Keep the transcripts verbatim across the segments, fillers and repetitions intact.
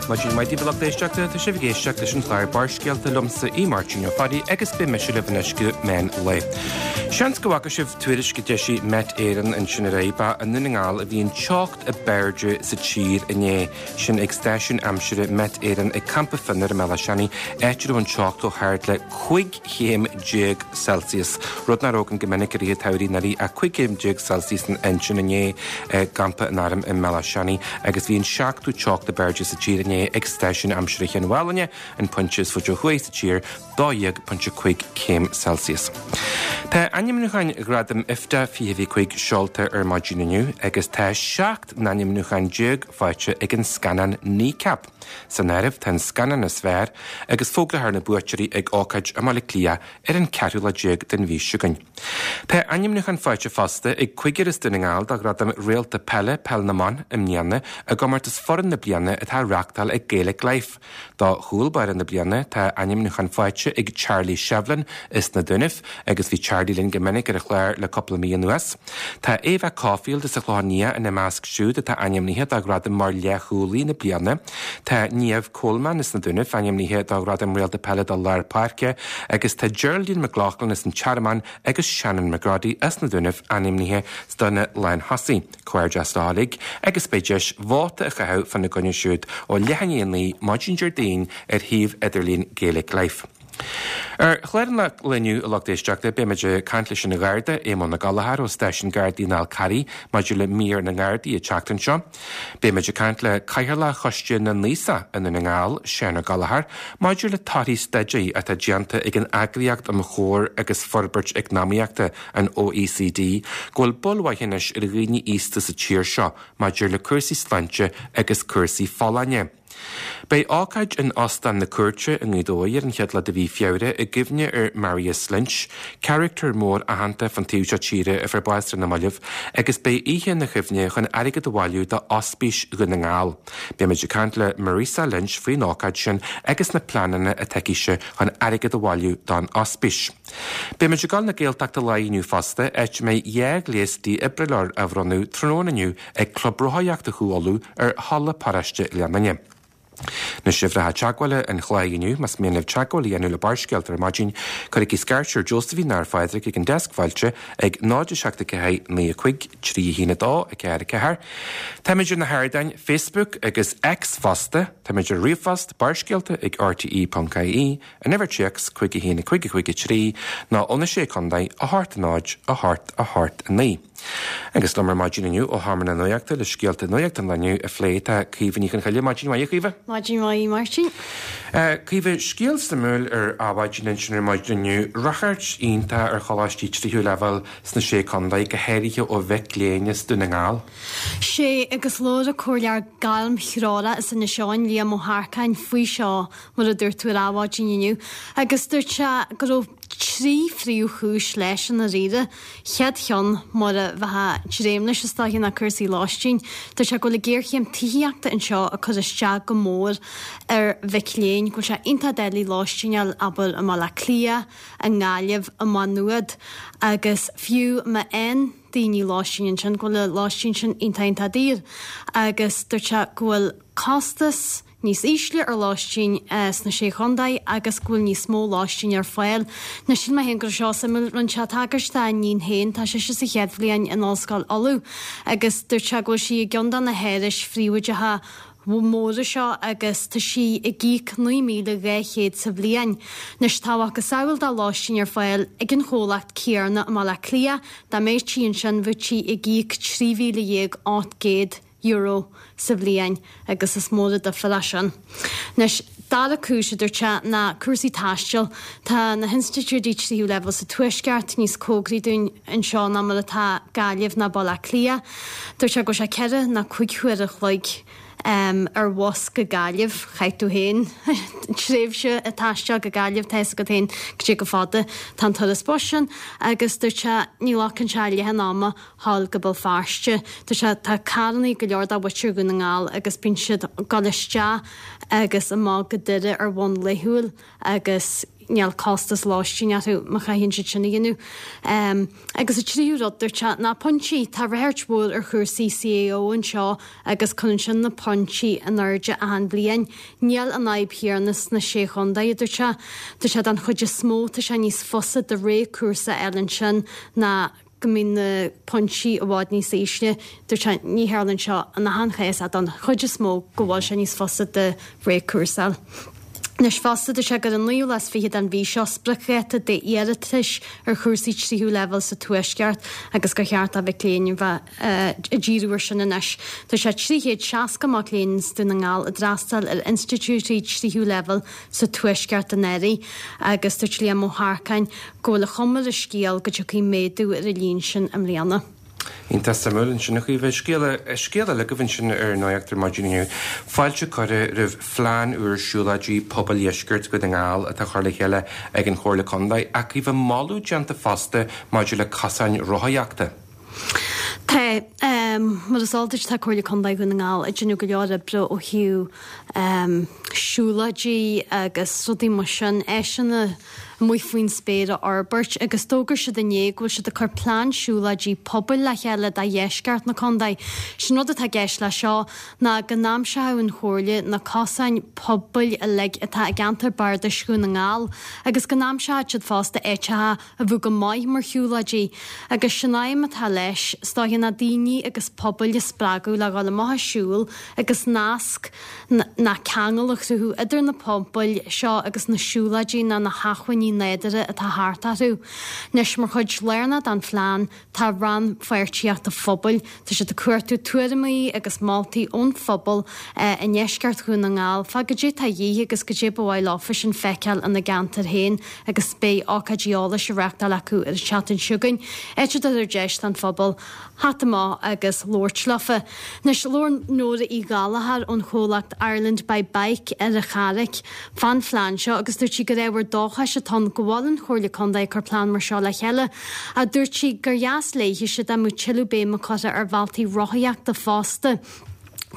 Maidin mhaith daoibh a lucht éisteachta tá sibh ag éisteacht leis an chlár Barrscéalta liomsa í Máirtín Ó Fearraigh agus beidh mise libh anois go meán lae. Seans go bhfaca sibh tuairisc a d'eisigh Met Éireann ansin aréir ba i nDún na nGall a bhí an teocht ab airde sa tír inné sin ag stáisiún aimsire Met Éireann ag Campa Fionnar i mBealach Seanaidh áit a raibh an teocht chomh hard le cúig chéim déag Celsius. Rud nach raibh againn go minic i rith an tsamhraidh anuraidh ach cúig chéim déag Celsius ansin inné i gcampa an airm i mBealach Seanaidh agus bhí an seachtú teocht ab airde sa tír inné ag stáisiún aimsire Chionn Mhálanna an pointe is faide ó thuaidh sa tír dó dhéag pointe cúig céim Celsius. Tá ainmniúcháin Ghradaim IFTA fiche fiche cúig seolta ar maidin inniu agus tá seacht n-ainmniúchán déag faighte ag an scannán Kneecap. San áireamh tá an scannán is fearr agus fógrófar na buaiteoirí ag ócáid i mBaile Átha Cliath ar an ceathrú lá déag den mhí seo chugainn. Tá ainmniúchán faighte fosta ag cúigear as Dún na nGall do ghradam réalta peile peil na mban i mbliana i gcomórtas foireann na bliana atá á reáchtáil ag Gaelic Life. Do chúl báire na bliana tá ainmniúchán faighte ag Charlie Shevlin as na Dúnaibh agus bhí Charlie linn go minic ar an chlár le cúpla mí anuas. Tá Eva Caulfield as an Chlochán Liath ina measc siúd atá ainmnithe do ghradam mar leathchúlaí na bliana. Tá Niamh Coleman as na Dúnaibh ainmnithe do ghradam réalta peile do lár páirce agus tá Geraldine McLaughlin as an Tearmann agus Shannon McGroddy as na Dúnaibh ainmnithe do na lánthosaithe. Comhghairdeas leo uilig agus beidh deis vóta a chaitheamh fána gcoinne siúd ó leath i ndiaidh a naoi maidin Déardaoin ar shuíomh idirlín Gaelic Life. Ar chlár an lae inniu a lucht éisteachta beimid ag caint leis an Gharda Éamonn Ó Gallchóir ó Stáisiún Gardaí an Fhál Carraigh maidir le mír na nGardaí an tseachtain seo. Beimid ag caint le Cathaoirleach Choiste na nAosach i nDún na nGall Seán Ó Gallchóir maidir le torthaí staidéir atá déanta ag an Eagraíocht um Chomhar agus Forbairt Eacnamaíochta an OECD go bhfuil bail mhaith anois ar dhaoine aosta sa tír seo maidir le cúrsaí sláinte agus cúrsaí folláine. Beidh ócáid in Óstán na Cúirte i nGaoth Dobhair ar an chéad lá de mhí Feabhra i gcuimhne ar Marius Lynch, carachtar mór aitheanta fan taobh seo tíre a fuair bás ar na mallaibh, agus beidh oíche ina chuimhne chun airgead a bhailiú do Ospís Dhún na nGall. Beimid ag caint le Marisa Lynch faoin ócáid sin agus na pleananna atá aici chun airgead a bhailiú don ospís. Beimid ag dul na Gaeltachta lá inniu fosta áit a mbeidh dhá ghléas dífhibrileoir á bhronnadh tráthnóna inniu ag Club Rothaíochta Chú Uladh ar Halla Paráiste Leanainne. Na uimhreacha teagmhála an chláir inniu más mian libh teagmháil a dhéanamh le Barrscéalta ar maidin, cuirigí scairt ar Josephine ar Phádraig ag an deasc fáilte ag náid seacht ceathair naoi cúig trí haon dó a ceathair ceathair. Táimid ar na hardáin Facebook agus X fosta, Táimid ar ríomhphost barrscéalta ag rte.ie, an uimhir téacs cúig a haon cúig cúig trí ná óna sé chontae a hocht náid a hocht a hocht a naoi. Agus liom ar maidin inniu ó Sheomra na Nuachta le scéalta nuachta an lae inniu a phlé tá Caoimhe Ní Chonchoille maidin mhaith Caoimhe. Maidin mhaith Máirtín. Caoimhe scéal suimiúil ar Adhmhaidin ansin ar maidin inniu, ráchairt iontach ar choláistí tríú leibhéal sna sé chontae go háirithe ó mhic léinn as Dún na nGall. Sé agus labhair an Comhairleoir Gairmthreorach as Inis Eoghain Liam Ó hEarcáin faoi seo mar a dúirt tú ar Adhmhaidin inniu, agus dúirt sé go raibh trí phríomhchúis leis an dáiríre. Chéad cheann mar a bheith dréim leis is dóiche ná cúrsaí lóistín. Dúirt sé go bhfuil géarchéim tithíochta anseo ag cur isteach go mór ar mhic léinn, go bhfuil sé iontach doiligh lóistín a fháil abair i mBaile Átha Cliath, i nGaillimh, i Maigh Nuad, agus fiú má fhaigheann daoine lóistín ansin go bhfuil an lóistín sin iontach iontach daor. Agus dúirt sé go bhfuil costas níos ísle ar lóistín sna sé chontae agus go bhfuil níos mó lóistín ar fáil. Anois shíl mé féin go raibh seo suimiúil rinne sé tagairt dá iníon féin tá sise sa chéad bhliain in Ollscoil Uladh agus dúirt sé go bhfuil sí i gceann de na hárais phríobháideacha mhóra seo agus tá sí ag íoc naoi míle dhá chéad sa bhliain. Anois tá a mhacasamhail de lóistín ar fáil ag an chomhlacht céanna i mBaile Átha Cliath, dá mbeadh sí ansin bheadh sí ag íoc trí mhíle dhéag ocht gcéad euro sa bhliain agus is mór an difear é sin. Anois dara cúis a dúirt sé ná cúrsaí taistil. Tá na hinstitiúidí tríú leibhéal sa tuaisceart níos cóngaraí dúinn anseo ná mar atá Gaillimh ná Baile Átha Cliath. Dúirt sé go bhfuil sé ceithre nó cúig huaire a chloig um, ar bhus go Gaillimh, chaith tú féin tréimhse ag taisteal go Gaillimh tá a fhios agat féin cad é chomh fada tá an turas bus sin agus dúirt sé ní ghlacann sé leath an ama thall go Béal Feirste. Dúirt sé tá carrannaí go leor de mhuintir Dhún na nGall agus bíonn siad ag dul isteach agus amach go Doire ar bhonn laethúil agus níl costas lóistín orthu má chaitheann siad sin a dhéanamh. Agus an tríú rud, dúirt sé, ná pointí, tá ráchairt mhór ar chúrsaí CAO anseo agus cuireann sin na pointí in airde achan bhliain. Níl an fhadhb chéanna sna Sé Chontae, a dúirt sé. Dúirt sé don chuid is mó tá sé níos fusa do rogha cúrsa a fháil ansin ná go mbíonn na pointí i bhfad níos ísle. Dúirt sé, ní tharlaíonn seo in achan chás ach don chuid is mó go bhfuil sé níos fusa do rogha cúrsa a fháil. Anois fosta, dúirt sé gur an naoú lá is fiche den mhí seo spriocdháta d'iarratais ar chúrsaí tríú leibhéal sa Tuaisceart agus gur cheart do mhic léinn a bheith ag díriú air sin anois. Dúirt sé trí chéad seasca mac léinn as Dún na nGall ag d'fhreastal ar institiúidí tríú leibhéal sa Tuaisceart anuraidh agus dúirt Liam Ó hEarcáin go bhfuil an chuma ar an scéal go dtiocfaidh méadú ar an líon sin i mbliana. Iontach suimiúil ansin a Chaoimhe. Scéal, scéal eile agaibh ansin ar Nuacht ar maidin inniu. Fáilte curtha roimh phlean úr siúlóidí pobail dheisceart Dhún na nGall atá curtha le chéile ag an Chomhairle Contae ach Caoimhe moladh déanta fosta maidir le cosáin rothaíochta. Tá, mar is eol duit tá Comhairle Contae Dhún na nGall ag déanamh go leor oibre ó thaobh siúlóidí agus rudaí mar sin, áiseanna amuigh faoin spéir a fhorbairt agus d'fhógair siad inné go bhfuil siad ag cur plean siúlóidí pobail le chéile do dheisceart na contae. Sin rud atá i gceist leis seo ná go n-aimseoidh an Chomhairle na cosáin pobail uilig atá i gceantar bardais Dhún na nGall agus go n-aimseoidh siad fosta áiteacha a bheadh go maith mar shiúlóidí agus sin aidhm atá leis, is dóiche, ná daoine agus pobail a spreagadh le dhul amach ag siúl agus nasc ná ceangal a chruthú idir na pobail seo agus na siúlóidí ná na hacmhainní nádúrtha atá thart orthu. Anois, mar chuid lárnach den phlean tá rannpháirtíocht an phobail. Tá siad ag cuartú tuairimí agus moltaí ón phobal i ndeisceart Dhún na nGall fá goidé atá a dhíth agus goidé ba mhaith leofasan feiceáil ina gceantar féin agus beidh ócáidí eolais á reáchtáil acu ar an tseachtain seo chugainn, áit a dtabharfar deis don phobal theacht amach agus labhairt leofa. Anois, labhair Nóra Uí Ghallchóir ón chomhlacht Ireland by Bike ar an Charraic fán phlean seo agus dúirt sí gur ábhar dóchais atá ann go bhfuil an Chomhairle Contae ag cur plean mar seo le chéile ach dúirt sí gur dheas léithe dá mbeadh tuilleadh béime curtha ar bhealtaí rothaíochta fosta.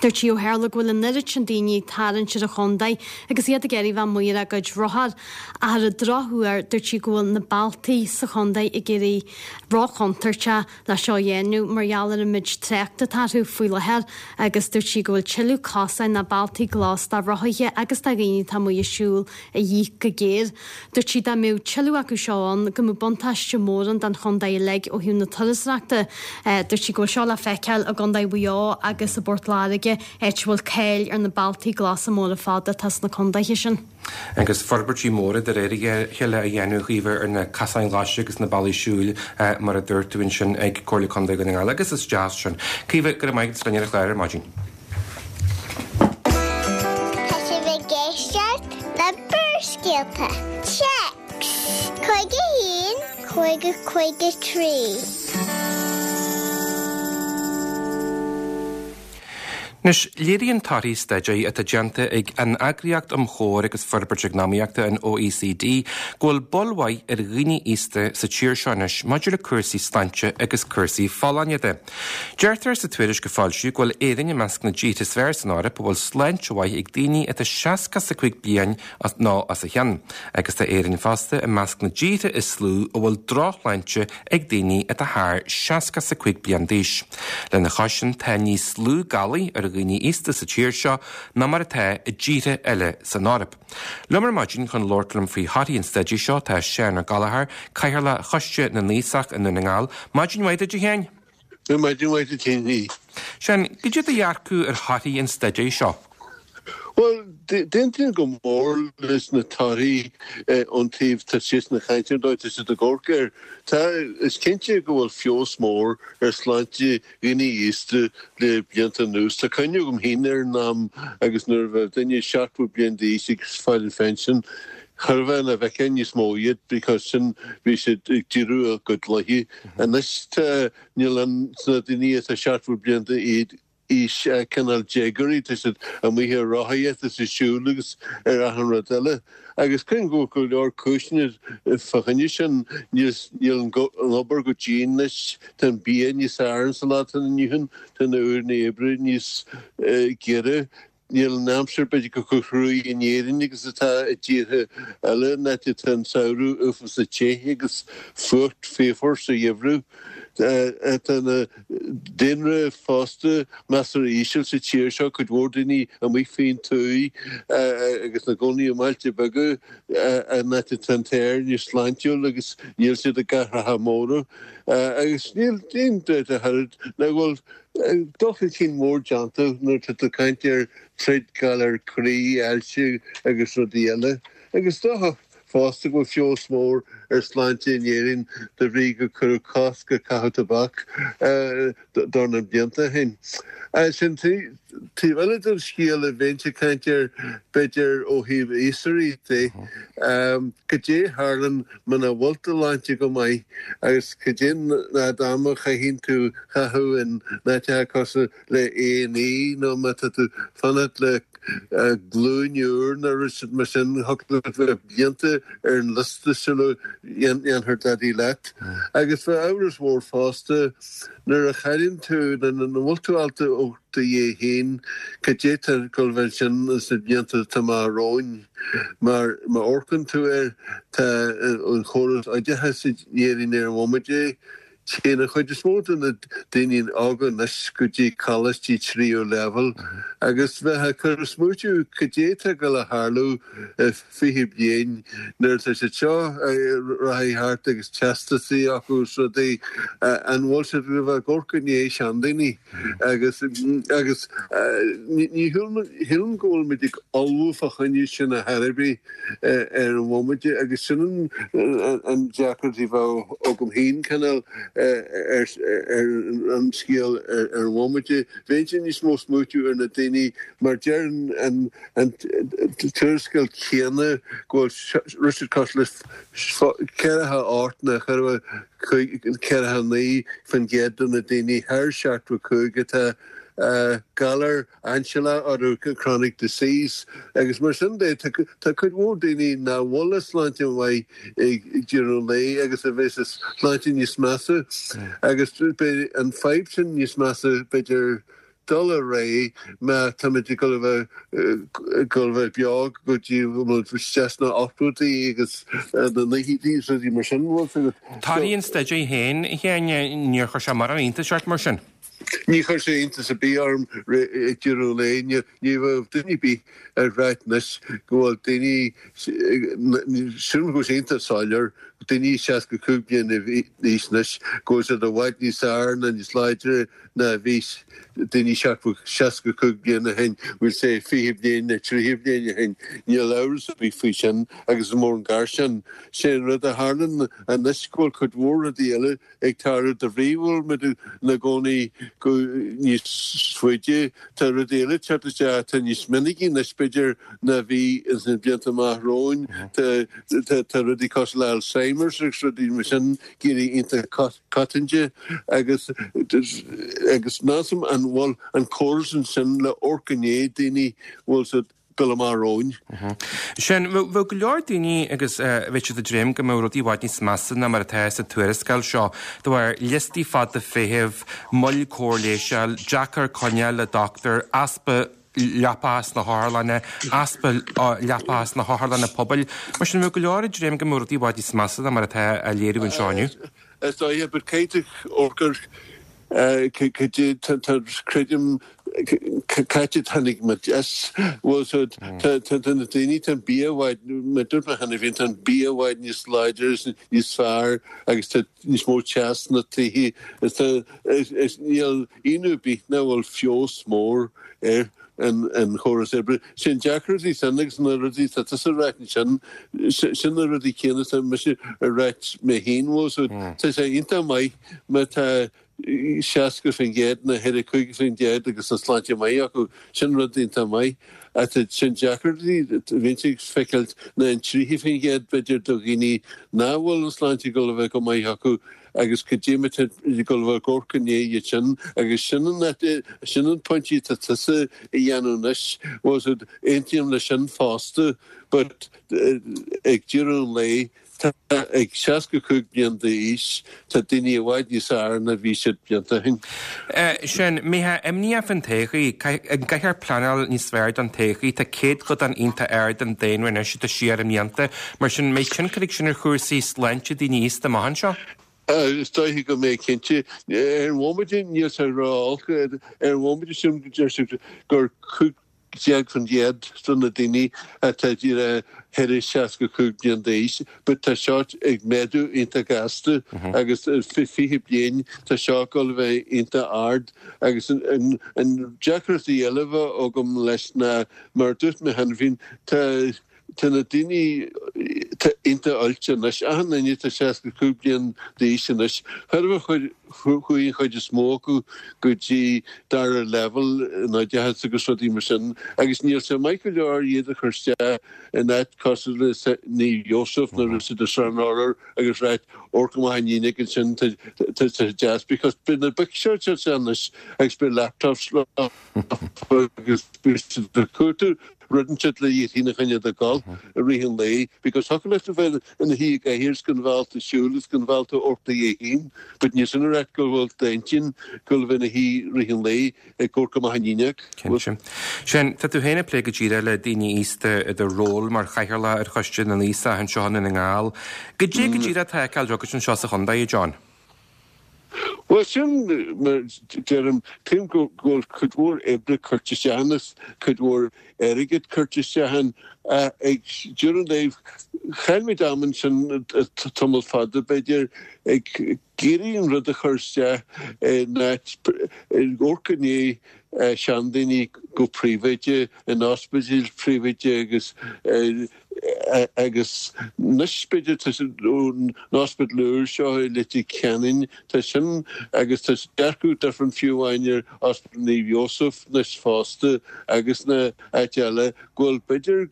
Dúirt sí ó tharla go bhfuil an oiread sin daoine ag tarraingt ar an chontae agus iad ag iarraidh bheith amuigh ar a gcuid rothar ach ar an drochuair dúirt sí go bhfuil na bealtaí sa chontae ag éirí róchontúirteach le seo a dhéanamh mar gheall ar an méid tráchta atá orthu faoi láthair agus dúirt sí go bhfuil tuilleadh cosáin ná bealtaí glas do rothaithe agus do dhaoine atá amuigh ag siúl a dhíth go géar. Dúirt sí dá mbeadh tuilleadh acu seo ann go mbeadh buntáiste mór ann don chontae uilig ó thaobh na turasóireachta. Dúirt sí go bhfuil seo le feiceáil i gContae Mhaigh Eo agus i bPort Láirge, áit a bhfuil cáil ar na bealtaí glasa móra fada atá sna contaetha sin. Agus forbairtí móra de réir a chéile á dhéanamh a Chaoimhe ar na cosáin ghlasa agus na bealaí siúil mar a dúirt tú ansin ag Comhairle Contae Dhún na nGall agus is deas sin. Caoimhe, go raibh maith agat as linn ar an chlár ar maidin. Tá sibh ag éisteacht le Barrscéalta. Téacs cúig a haon, cúig a cúig a trí. Anois, léiríonn torthaí staidéir atá déanta ag an Eagraíocht um Chomhar agus Forbairt Eacnamaíochta, an OECD, go bhfuil bail mhaith ar dhaoine aosta sa tír seo anois maidir le cúrsaí sláinte agus cúrsaí folláine de. Deirtear sa tuairisc a foilsíodh go bhfuil Éirinn i measc na dtíortha is fearr san Eoraip a bhfuil sláinte mhaith ag daoine atá seasca is a cúig bliain nó os a chionn, agus tá Éirinn fosta i measc na dtíortha is lú a bhfuil drochshláinte ag daoine atá thar seasca is a cúig bliain d'aois. Lena chois sin, tá níos lú galair ar dhaoine aosta sa tír seo ná mar atá i dtíortha eile san Eoraip. Liom ar maidin chun labhairt liom faoi thorthaí an staidéir seo tá Seán Ó Gallchóir, Cathaoirleach Choiste na nAosach i nDún na nGall. Maidin mhaith duit, a Sheáin. Maidin mhaith duit féin. Seán, cad é do dhearcadh ar thorthaí an staidéir seo? Bhuel, d'aontaím go mór leis na torthaí ón taobh tá siadsan ag caint ar an dóigh tá siad ag amharc air. Tá, is cinnte go bhfuil feabhas mór ar shláinte dhaoine aosta le blianta anuas. Tá cuimhne agam féin ar an am agus nuair a bheadh duine seachtó bliain d'aois ag fáil an phension, cha raibh ann a bhfeicfeá níos mó iad because sin bhí siad ag deireadh a gcuid laethe. Anois tá, níl ann sna daoine atá seachtó bliain d'aois cineál déagóirí, tá siad amuigh ar rothaíocht is ag siúl agus ar achan rud eile. Agus creidim go bhfuil go leor cúiseanna fá choinne sin, níl níl an obair chomh dian anois, tá an bia níos fearr sa lá atá inniu ann, tá na uaireanna oibre níos giorra, Níl an aimsir b'fhéidir chomh cruaidh in Éirinn agus atá i dtíortha eile, an áit atá an samhradh uafásach te agus fuacht fíochmhar sa gheimhreadh. Tá an daonra fosta measartha íseal sa tír seo, cuid mhór daoine amuigh faoin tuath agus ina gcónaí i mbailte beaga, an áit atá an t-aer níos sláintiúil agus níl siad i gcathracha móra. Agus níl aon dabht ach oiread ná go bhfuil dul chun cinn mór déanta nuair atá tú ag caint ar troid galar croí, ailse agus rudaí eile. Agus is dócha fosta go bhfuil feabhas mór ar shláinte in Éirinn de bhrí gur cuireadh cosc ar chaitheamh tobac dornán blianta ó shin. Sin taobh eile den scéal a bheinnse ag caint air b'fhéidir ó thaobh aosóirí de, cad é a tharlann muna bhfuil do shláinte go maith agus cad é an fhad ama a chaitheann tú chaitheamh in áiteacha cosúil le A and E nó má tá tú fanacht le glúin úr nó rud mar sin, thiocfadh leat bheith blianta ar an liosta sula ndéanfar dadaí leat. Agus bheadh amhras mhór fosta nuair a chailleann tú, nó nuair nach bhfuil tú ábalta amharc do dhiaidh féin, cad é tá ag dul a bheith ansin sna blianta atá amach romhainn. Mar má amharcann tú air, tá an chóras oideachais in Éirinn ar an bhomaite, Téann an chuid is mó de na daoine óga anois go dtí coláistí tríú leibhéal agus bheith ag cur smaoitiú cad é atá ag dul a tharlú i fiche bliain nuair atá siad seo rachaidh thart agus teastasaí acu is rudaí, an bhfuil siad ag bheith ag amharc i ndiaidh seandaoine agus agus ní shílim go bhfuil muid ag ullmhú fá choinne sin ar chor ar bith ar an bhomaite agus sin an deacracht a bheadh agam féin cineál ar an scéal ar an bhomaite. Bheinnse níos mó smaoitiú ar na daoine mar deir an tuarascáil chéanna go bhfuil rud cosúil le ceathracha ocht nó ceathracha naoi faoin gcéad de na daoine thar seachtó cúig atá galar ainsealach orthu, chronic disease, agus mar sin de tá cuid mhór daoine nach bhfuil a sláinte maith ag deireadh an lae agus a bheas a sláinte níos measa agus beidh an fadhb sin níos measa b'fhéidir dul ar aghaidh má táimid ag dul a bheith ag dul a bheith beo go dtí go bhfuil isteach sna ochtóidí agus na naochaidí agus rudaí mar sin, bhfuil fhios agat. Torthaí an staidéir féin, a Sheáin, níor chuir sé mórán iontais ort mar sin? Ní chuir sé iontas ar bith orm ag deireadh an lae. Ní bheadh duine ar bith ag ráit anois go bhfuil daoine, sílim go bhfuil sé iontach soiléir, daoine seasca cúig bliana d'aois anois, go bhfuil siad i bhfad níos fearr ná níos láidre ná a bhí daoine seasca cúig bliana ó shin, we'll say fiche bliain nó tríocha bliain ó shin. Níl amhras ar bith faoi sin agus is mór an gar sin. Sé an rud a tharlann anois go bhfuil cuid mhór rudaí eile ag tarlú de bhrí go bhfuil muid ina gcónaí go níos faide. Tá rudaí eile ag teacht isteach atá níos minicí anois b'fhéidir ná a bhí ins na blianta amach romhainn. Tá tá rudaí cosúil le Alzheimer's agus rudaí mar sin ag éirí iontach coitianta agus agus níl 's a'm an bhfuil an córas ansin le amharc i ndiaidh daoine bhfuil siad dul amach romhainn. Sin, bheadh go leor daoine agus bheadh siad ag dréim go mbeadh rudaí i bhfad níos measa ná mar atá sa tuarascáil seo, de bharr liostaí fada feithimh, moill cóir leighis, deacair coinneáil le dochtúir, easpa leapacha sna hotharlanna, easpa leapacha sna hotharlanna pobail. Mar sin, bheadh go leor ag dréim go mbeadh rudaí i bhfad níos measa ná mar atá á léiriú anseo inniu. Is dóiche, but caithfidh tú amharc ar cad é tá, creidim, cá háit a tháinig muid as, bhfuil so tá tá na daoine, tá an bia i bhfad, mar a dúirt mé cheana féin, tá an bia i bhfad níos láidre is níos fearr agus tá níos mó teas sna tithe is tá, is níl ionadh ar bith nach bhfuil feabhas mór ar an an chóras oibre. Sin deacrachtaí sin agus na rudaí atá tusa a ráit ansin, sin na rudaí céanna atá mise a ráit mé féin, bhfuil so tá sé iontach maith má tá seasca faoin gcéad nó ceathracha cúig faoin gcéad agus tá sláinte maith acu, sin rud iontach maith. Ach tá sin deacrachtaí a bhíonns ag feiceáilt ná an tríocha faoin gcéad b'fhéidir do dhaoine nach bhfuil an sláinte ag dul a bheith go maith acu agus cad é mar tá ag dul a bheith ag amharc i ndiaidh iad sin agus sin an sin an pointe atá tusa a dhéanamh anois, bhfuil aontaím leis sin fosta but ag deireadh an lae, Tá ag seasca cúig bliain d'aois, tá daoine i bhfad níos fearr ná bhí siad blianta ó shin. Sin, mé imníoch faoin todhchaí, an gcaithfear pleanáil níos fearr don todhchaí, tá céatadán iontach ard den daonra anois atá siar i mblianta, mar sin an mbeidh tionchar ag sin ar chúrsaí sláinte daoine aosta amach anseo? Is dóiche go mbeidh cinnte. Ar an bhomaite níl sé ró-olc, ar an bhomaite sin deir siad gur cúig déag faoin gcéad de na daoine atá díreach thar seasca cúig bliain d'aois, but tá seo ag méadú iontach gasta agus fiche bliain tá seo ag dul a bheith iontach ard agus an deacracht eile a bheith agam leis ná mar a dúirt mé cheana féin, tá Tá na daoine iontach oilte anois. Achan duine atá seasca cúig bliain d'aois anois, chuir chuaigh an chuid is mó acu go dtí dara leibhéal in oideachas agus rudaí mar sin agus níl sé maith go leor iad a chur isteach in áit cosúil le Naomh Iósaf nó rud de Sran Orr agus right amharc amach an fhuinneog ansin tá sé deas because beidh na boic seo anois agus beidh laptops leo agus beidh siad ag cuartú rud inteacht le iad féin a choinneáil ag dul i rith an lae because thiocfadh leat a bheith ina shuí i gcathaoir is gan bheith ábalta siúl is gan bheith ábalta amharc do dhiaidh féin but níl sin ag ráit go bhfuil d'intinn go bheith ina shuí i rith an lae ag amharc amach an fhuinneog. Cinnte. Sin, tá tú féin ag plé go díreach le daoine aosta i do ról mar chathaoirleach ar Choiste na nAosach anseo i nDún na nGall. Goidé go díreach atá á fheiceáil agat anseo sa chontae, a John? Bhuel, sin mar deirim, tuigim go bhfuil cuid mhór oibre curtha isteach ann is cuid mhór airgid curtha isteach ann. Ag deireadh an lae, chaill muid am ansin tamall fada, b'fhéidir, ag iarraidh an rud a chur isteach in áit, ag amharc i ndiaidh seandaoine go príobháideach, in ospidéil phríobháideach agus Agus anois, b'fhéidir, tá an ospidéal úr seo i Leitir Ceanainn, tá sin, agus tá dearcadh difriúil fiú amháin ar Ospidéal Naomh Iósaf anois fosta agus na áit eile, go bhfuil b'fhéidir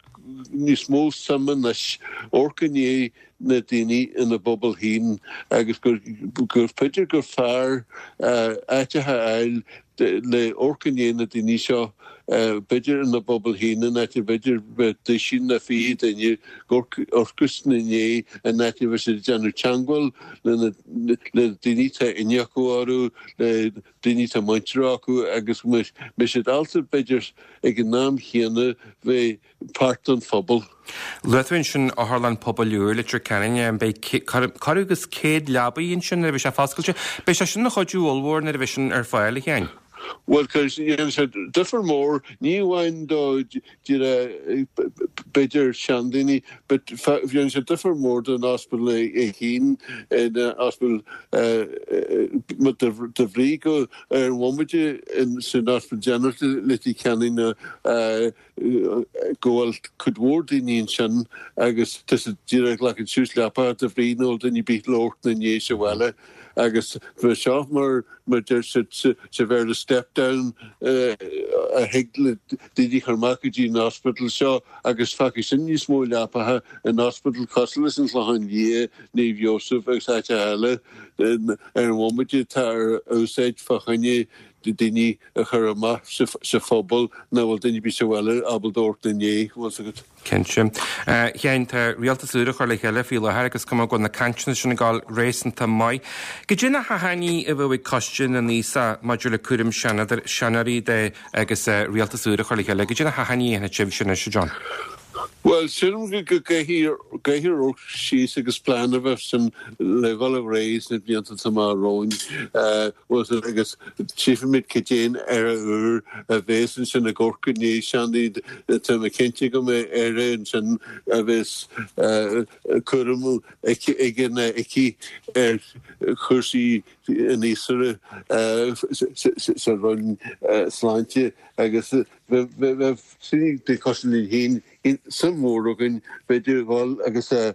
níos mó suim anois amharc i ndiaidh na daoine ina bpobal féin agus gur b'fhéidir gur fearr áiteacha a fháil le amharc i ndiaidh na daoine seo b'fhéidir ina bpobal féin in áit b'fhéidir bheith duisín nó fiche duine ag amharc ina ndiaidh in áit a bheith siad ag déanamh teangmháil le le daoine atá aithne acu orthu le daoine atá muintir acu agus go mbeidh siad ábalta b'fhéidir ag an am chéanna bheith páirt den phobal. Luaigh tú ansin Otharlann Pobail úr Leitir Ceanainn, beidh corradh agus céad leabaí ansin nuair a bheidh sé foscailte. Beidh sé sin ina chuidiú ollmhór nuair a bheidh sin ar fáil, a Sheáin. Bhuel, déanfaidh sé difear mór, ní amháin do b'fhéidir seandaoine, but déanfaidh sé difear mór don ospidéal é féin, an ospidéal de bhrí go ar an bhomaite san Ospidéal Ginearálta Leitir Ceanainn go bhfuil cuid mhór daoine ansin agus tá siad díreach ag glacadh suas leapacha de bhrí nach bhfuil duine ar bith le amharc ina ndiaidh sa bhaile agus bheadh seo mar mar deir siad sa Bhéarla step down a thig le daoine a chur amach go dtí an ospidéal seo agus fágfaidh sin níos mó leapacha in ospidéal cosúil leis an Chlochán Liath, Naomh Iósaf agus áiteacha eile ar an bhomaite atá ar úsáid fá choinne daoine a chur amach sa phobal nach bhfuil duine ar bith sa bhaile ábalta amharc ina ndiaidh, bhfuil 's agat. Cinnte. A Sheáin, tá rialtas úr á chur le chéile faoi láthair agus cuma go bhfuil na cainteanna sin ag dul réasúnta maith. Goidé na hachainí a bheadh ag Coiste na nAosach maidir le cúram seanóirí de agus rialtas úr á chur le chéile? Goidé na hachainí a dhéanfaidh sibhse anois, a John? Bhuel, sílim go gcaithfidh amharc síos agus plean a bheith ansin le dhul ar aghaidh sna blianta atá amach romhainn agus tchífimid cad é an Aire úr a bhéas ansin ag amharc i ndiaidh seandaoine. Tá mé cinnte go mbeidh Aire ansin a bhéas cúram aige nó aici ar chúrsaí an aosaire sa Roinn Sláinte agus bheadh daoine cosúil linn féin suim mhór againn b'fhéidir dhul agus a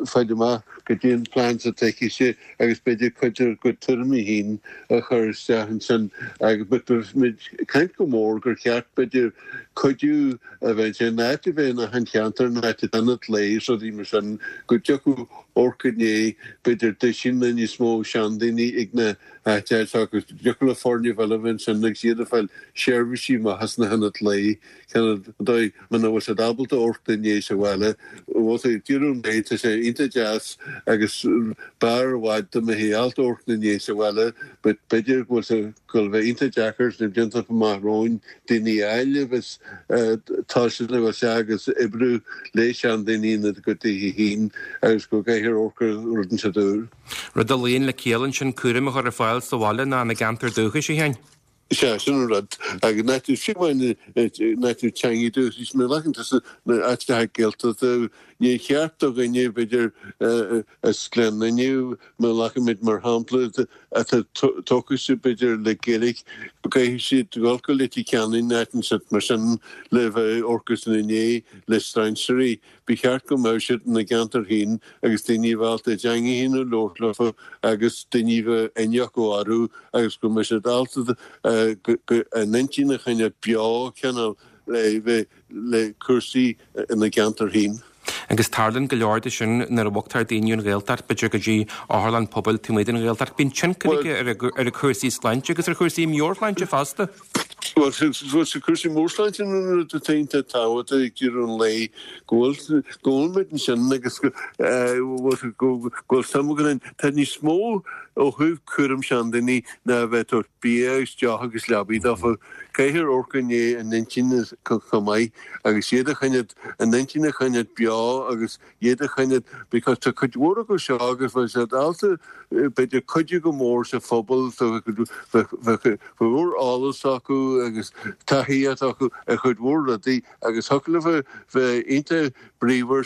fáil amach goidé an plean atá aici agus b'fhéidir cuid dár gcuid tuairimí féin a chur isteach ansin agus but beimid ag caint go mór gur cheart b'fhéidir cuidiú a bheith in áit a bheith in achan cheantar, in áit ionad lae is rudaí mar sin, go dtiocfadh amharc i ndiaidh b'fhéidir duisín níos mó seandaoine ag na háiteacha seo agus go dtiocfadh le foirne eile a bheith ansin agus iad ag fáil seirbhísí maithe sna hionaid lae, cineál an dóigh muna bhfuil siad ábalta amharc ina ndiaidh sa bhaile, bhfuil sé ag deireadh an lae, tá sé iontach deas agus b'fhearr i bhfad dá mbeifí ábalta amharc ina ndiaidh sa bhaile but b'fhéidir go bhfuil sé go bhfuil bheith iontach deacair sna blianta amach romhainn daoine a fháil a bheas tosaithe le bheith agus oibriú le seandaoine ina gcuid tithe féin agus go gcaithfear amharc ar rud inteacht úr. Rud a luíonn le ciall ansin cúram a chur ar fáil sa bhaile ná ina gceantar dúchais, a Sheáin. Sea, sin an rud. Agus nach tú fiú amháin nach tú teangaidh dúchais, má ghlacann tusa na áiteacha Gaeltachta, níor cheart do dhuine, b'fhéidir, as Gleann Fhinne, má ghlacaimid mar shampla, atá tógtha, b'fhéidir, le Gaeilge, go gcaithfidh siad dul go Leitir Ceanainn, áit inteacht mar sin, le bheith ag amharc ina ndiaidh le strainséirí. Ba cheart go mbeadh siad ina gceantar féin agus daoine a bheith ábalta a dteanga féin a labhairt leofa agus daoine a bheith aithne acu orthu agus go mbeadh siad ábalta a n-intinn a choinneáil beo cineál le bheith le cúrsaí ina gceantar féin. Agus tarlaíonn go leor de sin nuair a bhogtar daoine ón Ghaeltacht, b'fhéidir go dtí otharlann pobail taobh amuigh den Ghaeltacht. Bíonn tionchar aige ar a cúrsaí sláinte agus ar chúrsaí meabhairshláinte fosta. Bhuel, sa cúrsaí meabhairshláinte an rud atá iontach tábhachtach ag deireadh an lae go bhfuil go bhfuil muid ansin agus go bhfuil suim againn ann. Tá níos mó ó thaobh cúram seandaoine ná a bheith ag tabhairt bia agus deoch agus leabaidh dófa. Caithfear amharc i ndiaidh a n-intinne chomh maith agus iad a choinneáil, a n-intinn a choinneáil beo agus iad a choinneáil because tá cuid mhór acu seo agus bheadh siad ábalta b'fhéidir cuidiú go mór sa phobal, bheadh cuid mhór eolas acu agus taithí acu ar chuid mhór rudaí agus thiocfadh leo bheith iontach bríomhar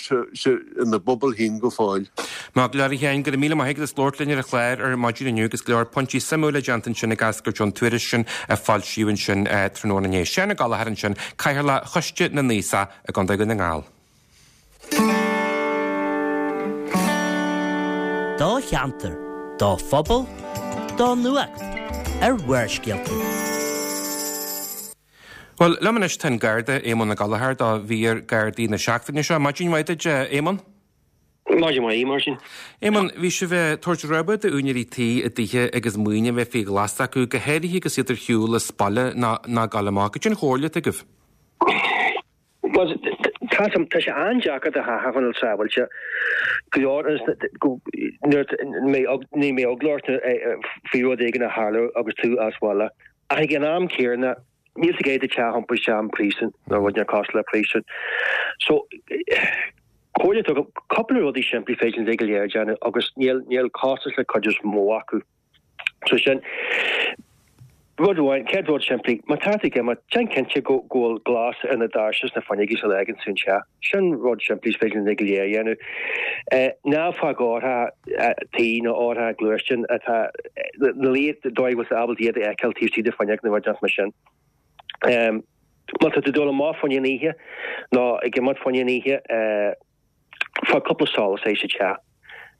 ina bpobal féin go fóill. Maith go leor a Sheáin, go raibh míle maith agat as labhairt linn ar an chlár ar maidin inniu agus go leor pointí suimiúla déanta ansin ag eascairt ón tuairisc sin a foilsíodh ansin tráthnóna inné. Seán Ó Gallchóir ansin, Cathaoirleach Choiste na nAosach i gContae Dhún na nGall. Do cheantar, do phobal, do nuacht ar Bharrscéalta. Bhuel, liom anois tá an Garda Éamonn Ó Gallchóir do mhír Gardaí na seachtaine seo. Maidin mhaith duit, Éamonn. Maidin mhaith, Máirtín. Éamonn, bhí sibh ag tabhairt rabhadh d'úinéirí tí i dtithe agus maoin a bheith faoi ghlas acu, go háirithe agus iad ar shiúl as baile ná ag gabháil amach. Cad é an chomhairle atá agaibh? Bhuel, tá tá sé an-deacair do theach a choinneáil sábháilte. Go leor nuair ní mbeidh eagla ort faoi rud éigin a tharlú agus tú as baile. Ach ag an am céanna, níl tú ag iarraidh do theach a iompú isteach in príosún nó rud inteacht cosúil le príosún. So, comhairle atá agam, cúpla rudaí simplí féidir linn go léir a dhéanamh agus níl níl costas le cuid is mó acu. So sin rud amháin, céad rud simplí, má tá tú ag imeacht, déan cinnte go go bhfuil glas ar na doirse is na fuinneoga sula bhfágann tú an teach. Sin rud simplí is féidir linn go léir a dhéanamh. Ná fág eochracha tí nó eochracha gluaisteáin atá na liath dóigh go bhfuil tú ábalta iad a fheiceáil taobh istigh de fuinneog nó rud inteacht mar sin. Má tá tú ag dul amach fá choinne an oíche nó ag imeacht fá choinne an oíche, fág cúpla solas air sa teach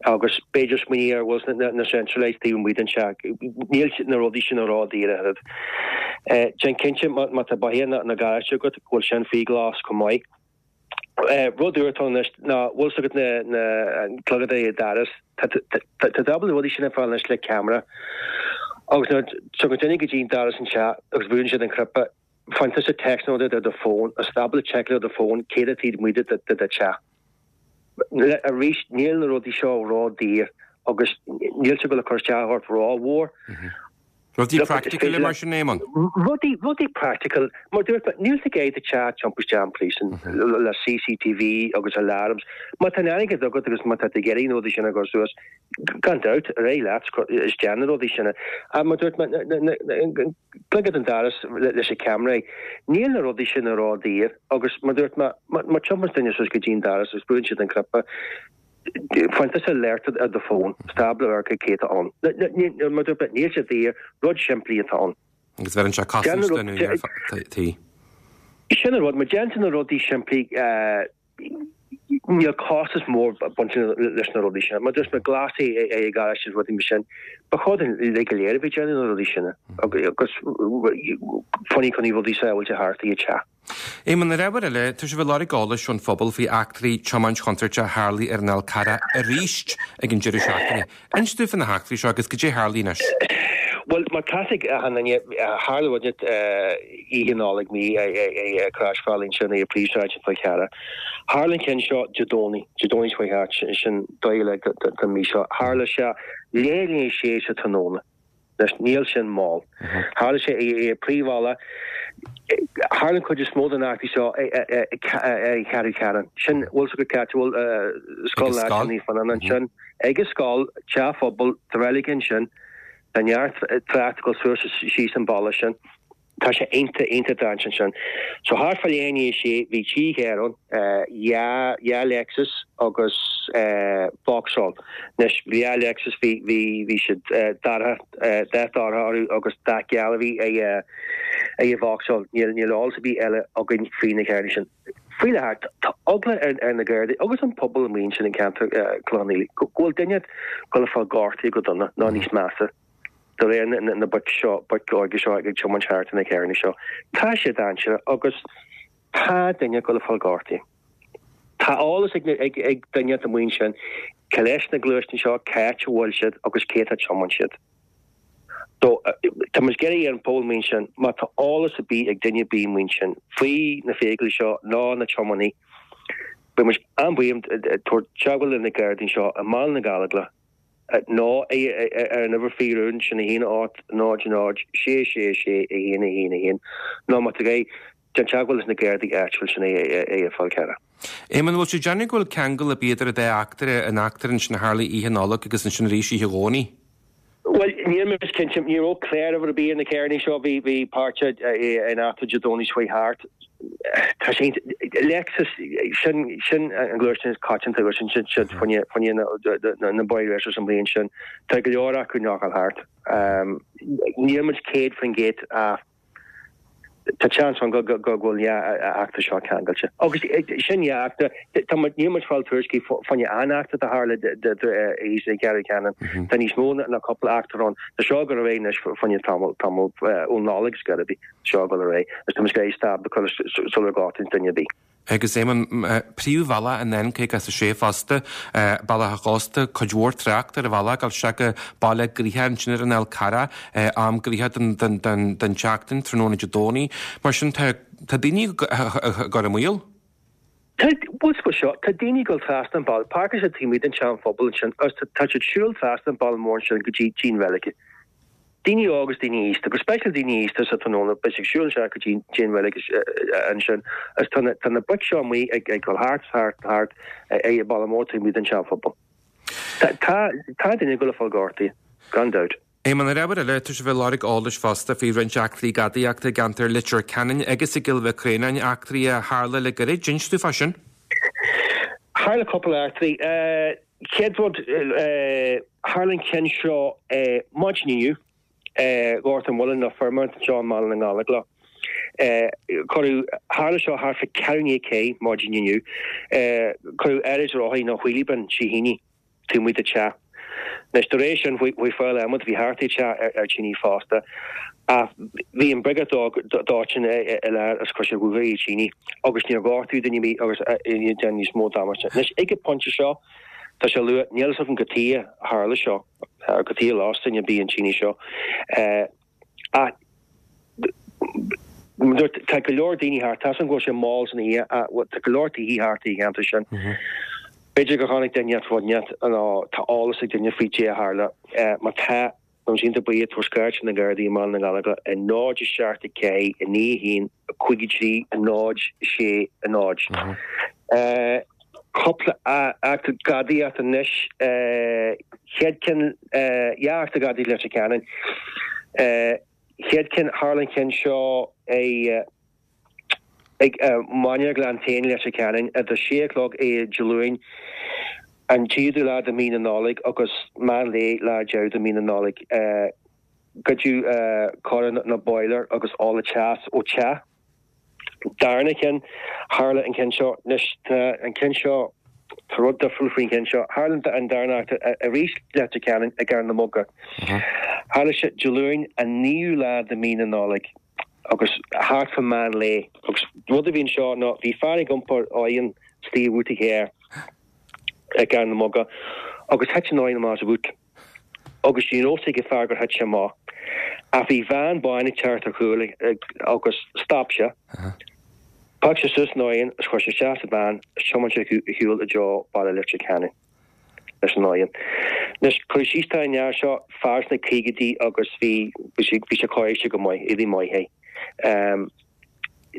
agus b'fhéidir smaoinigh ar bhfuil na na central lights taobh amuigh den teach. Níl na rudaí sin ró-dhaor a thuilleadh. Déan cinnte má tá beithíoch nó garáiste agat go bhfuil sin faoi ghlas chomh maith. Rud úr atá ann anois ná bhfuil 's agat na na clogadaí dorais. Tá tá tú ábalta na rudaí sin a fháil anois le ceamara agus nuair a tagann duine go dtí an doras an teach agus buaileann siad an cnaipe, faigheann tusa text nó rud ar do fón agus tá ábalta seiceáil ar do fón céard atá taobh amuigh de de do teach. Arís níl na rudaí seo ró-daor agus níl sé ag dul a cur isteach ort ró-mhór. Rudaí practical mar sin, Éamonn? Rudaí, rudaí practical. Mar dúirt mé, níl tú ag iarraidh do theach a iompú isteach in príosún le CCTV agus alarms. Má tá an airgead agat agus má tá tú ag iarraidh na rudaí sin a chur suas, gan dabht, ar aghaidh leat is déan na rudaí sin. Ach mar dúirt mé, clogad an doras leis na ceamaraí. Níl na rudaí sin ró-daor agus mar dúirt mé, má tiomáineann duine suas go dtí an doras agus buaileann siad an cnaipe, Faigheann tusa alert ar do fón, is tú ábalta a amharc cé atá ann. Mar dúirt mé, níl sé daor, rud simplí atá ann. Agus bheireann sé cosaint don úinéir tí. Sin an rud, má déanann tú na rudaí simplí, Níl costas mór bainte leis na rudaí sin. Mar dúirt mé glasfaí é garáiste is rudaí mar sin. Ba chóir dúinn uilig go léir a bheith ag déanamh na rudaí sin agus fá choinne rudaí sábháilte thart i dteach. Éamonn, ar ábhar eile, tá sibh ag lorg eolais ón phobal faoi eachtraí tiomáint chontúirteach a tharlaigh ar an Fhál Carrach arís ag an deireadh seachtaine. Inis dúinn faoi na heachtraí seo agus goidé a tharlaigh anois. Bhuel, mar tá a fhios ag achan duine, tharla rud Oíche Nollag mí ag croisbhealaí ansin ar phríomhshráid an Fhál Carrach. Tharla an ceann seo Dé Domhnaigh, Dé Domhnaigh seo thart, sin dóigh le den mí seo. Tharla sé leathuair i ndiaidh a sé sa tráthnóna. Anois, níl sin mall. Tharla sé ar príomhbhealach. Tharla an chuid is mó den eachtraí seo ag Ceathrú Ceanainn. Sin, bhfuil 's agat cá háit a bhfuil Scoil Náisiúnta Naomh Fionnán ansin. Ag an scoil, teach phobail, tá reilig ansin. Tá neart trácht ag dul suas is síos an bealach sin. Tá sé iontach, iontach dainséarach ansin. So thart fá leath i ndiaidh a sé, bhí trí charr ann, dhá, dhá Lexus agus Vauxhall. Anois, bhí dhá Lexus, bhí, bhí, bhí siad dorcha, dath dorcha orthu agus dath geal a bhí ag ag an Vauxhall. Níl, níl eolas ar bith eile againn faoi na carranna sin. Faoi láthair, tá eagla ar, ar na Gardaí agus an pobal amuigh ansin i gceantar Chlochán Liath go bhfuil duine ag dul a fáil gortaithe go dona nó níos measa. De réir na boic seo, boic óga seo ag tiomáint thart ar na carranna seo, tá sé dainséarach agus tá duine ag dul a fáil gortaithe. Tá eolas ag ag duine atá amuigh ansin cé leis na gluaisteáin seo, cá háit a bhfuil siad agus cé atá ag tiomáint iad. So, tá muid ag iarraidh ar an phobal amuigh ansin, má tá eolas ar bith ag duine ar bith amuigh ansin faoi na feithiclí seo nó na tiománaí, beidh muid an-bhuíoch tabhairt teagmháil le na Gardaí anseo i mBaile na Gallóglach. nó ar an uimhir faoi rún sin a haon ocht náid náid sé sé sé a haon a haon a haon nó má tá gá déan teagmháil leis na Gardaí áitiúil sin ag an Fhál Carrach. Éamonn, bhfuil sé ag déanamh go bhfuil ceangal ar bith idir an dá eachtra, an eachtra ansin a tharlaigh oíche Nollag agus ansin arís oíche Dhomhnaigh? Bhuel, níl mé cinnte, ní raibh cláruimhir ar bith ar na carranna seo, bhí bhí páirteach in eachtra Dé Domhnaigh seo thart. Tá sé Lexus sin sin an gluaisteán is coitianta agus sin sin siad fá choinne na na boy racers an bhliain sin. Tá go leor acu nach bhfuil thart. Níl muid céad faoin gcéad ach tá seans ann go go go bhfuil dhá eachtra seo ceangailte. Agus sin dhá eachtra tá muid níl muid fáil tuairiscí fá choinne aon eachtra a tharla thíos i gCeathrú Ceanainn. Tá níos mó ná cúpla eachtra ann. Tá seo ag dul ar aghaidh anois fá choinne tamall tamall ón Nollaig is gurb í. Seo ag dul ar aghaidh agus tá muid ag iarraidh stop a chur sula gortaíonn duine ar bith. Agus Éamonn, príomhbhealach an N caoga is a sé fosta, Bealach a' Chósta, cuid mhór trácht ar an bhealach ag dul isteach go baile gnoitheach ansin ar an Fhál Carrach, am gnoitheach den tseachtain, tráthnóna Dé Domhnaigh. Mar sin tá daoine ag cur i mbaol. Tá, bhuel seo, tá daoine ag dul trasna an bealach, páirceáil siad taobh amuigh den tSeanphobal ansin agus tá siad ag siúl trasna an bealach mór ansin go dtí an reilig. Daoine óga agus daoine aosta, go speisialta daoine aosta sa tráthnóna, beidh siad ag siúl isteach go dtí dtí an reilig ansin agus tá na tá na boic seo amuigh ag ag dul thart thart thart ag an bhealach mór taobh amuigh den tSeanphobal. Tá tá tá duine ag dul a fáil gortaithe, gan dabht. Éamonn, ar ábhar eile, tá sibh ag lorg eolais fosta faoi roinnt eachtraí gadaíochta i gceantar Leitir Ceanainn agus i gCill Mhic Réanáin, eachtraí a tharla le gairid. Inis dúinn fá sin. Tharla cúpla eachtraí. Chéad rud, tharla an ceann seo maidin inniu, Gort an Mhuilinn nó Fairmount anseo i mBaile na nGallóglach. Cuireadh, tharla seo thart fá ceathrú i ndiaidh a ceathair maidin inniu, cuireadh áirid rothaí nó wheelie bin trí thine taobh amuigh de teach. Anois, de réir sin, chuaigh fear adhmaid a bhí thart ag teach ar tine fosta, ach bhí an briogáid dóiteáin i lár agus chuir sé dhúthaigh ar tine agus níor gortaíodh duine ar bith agus níor déanadh níos mó damáiste. Anois, ag an bpointe seo, tá sé luath, níl fhios agam cad chuige a tharla seo, cad chuige a las duine ar bith an tine seo, ach tá go leor daoine thart, tá 'fhios agam go bhfuil sé mall san oíche, tá go leor tithe thart i gceantar sin. B'fhéidir gur chonaic duine rud inteacht nó tá eolas ag duine faoi cad é a tharla. Má tá, beidh muid iontach buíoch tabhair scairt ar na Gardaí i mBaile na nGallóglach ar náid a seacht a ceathair a naoi a haon cúig a trí náid sé náid. Cúpla eachtra gadaíochta anois. Chéad ceann, dhá eachtra gadaíochta i Leitir Ceanainn. Chéad ceann, tharla an ceann seo i. Ag Mainéar Ghleann tSéadhna i Leitir Ceanainn idir sé a chlog Dé Luain, an tríochadú lá de mhí na Nollag agus meán lae lá deireadh de mhí na Nollag. Goideadh cóireáil nó boiler agus ola teas ó teach Darna ceann, tharla an ceann seo, anois tá an ceann seo, tá rud difriúil faoin cheann seo, tharla an darna eachtra arís Leitir Ceanainn i gCarn na Muga. Tharla sé Dé Luain an naoú lá de mhí na Nollag agus thart fá meán lae agus rud a bhí anseo ná bhí fear ag iompar oigheann istigh i bhúta a charr i gCarn na Muga agus thit an oigheann amach as a bhút agus ní raibh fhios ag an fear gur thit sé amach ach bhí veain bán ag teacht ar chúl agus stop sé. Phioc sé suas an oigheann is chuir sé isteach sa veain is thiomáin sé ar shiúl i dtreo baile Leitir Ceanainn leis an oigheann. Anois, cur síos atá ar an fhear seo, fear sna caogaidí agus bhí bhí sé bhí sé cóirithe go maith, éadaí maith é.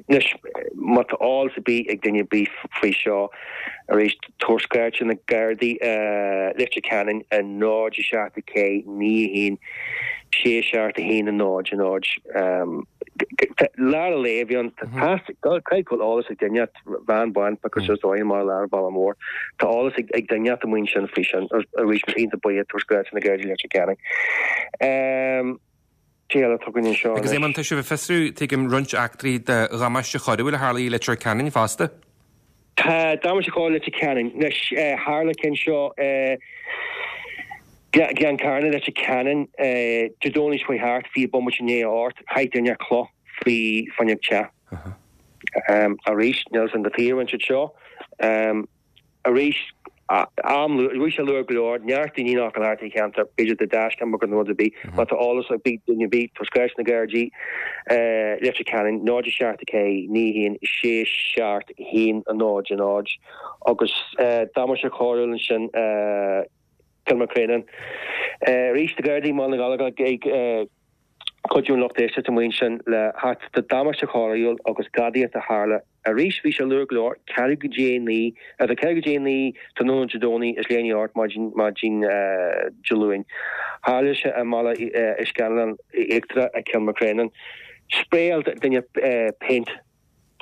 Anois, má tá eolas ar bith ag duine ar bith faoi seo, arís, tabhair scairt ar na Gardaí, Leitir Ceanainn, a náid a seacht a ceathair naoi a haon sé seacht a haon a náid a náid. Lár an lae a bhí ann. Caithfidh go bhfuil eolas ag duine, veain bán, piocadh suas oigheann amach i lár an bhaile mhóir. Tá eolas ag duine amuigh ansin faoi sin. Arís, iontach buíoch, tabhair scairt ar na Gardaí Leitir Ceanainn. Cé eile atá againn anseo Agus anois? Éamonn, tá sibh ag fiosrú, tuigim, roinnt eachtraí de dhamáiste choiriúil a tharla i Leitir Ceanainn fosta. Tá, damáiste choiriúil Leitir Ceanainn. Anois, tharla ceann seo i Gleann Cearna, Leitir Ceanainn, Dé Domhnaigh seo chuaigh thart, fiche bomaite i ndiaidh a hocht, chaith duine cloch faoi fuinneog teach. Arís, níl 'fhios a'm cad chuige a rinne siad seo. Arís, am luath, bhí sé luath go leor, neart daoine nach bhfuil thart sa cheantar, b'fhéidir do dashcam agus nó rud ar bith, má tá eolas ag duine ar bith, tabhair scairt na Gardaí, Leitir Ceanainn, náid a seacht a ceathair, naoi a haon, sé seacht haon a náid a náid, agus damáiste coiriúil ansin, Cill Mhacréanáin. Arís, na Gardaí i mBaile na Gallóglach ag cuidiú an lucht éisteachta amuigh ansin le theacht de damáiste choiriúil agus gadaíocht a tharla arís. Bhí sé luath go leor, ceathrú go dtí a naoi, idir ceathrú go dtí a naoi tráthnóna Dé Domhnaigh is leath i ndiaidh a hocht maidin maidin Dé Luain. Tharla sé i mBaile Uí Scanláin Íochtarach i Cill Mhacréanáin. Spraeáil duine péint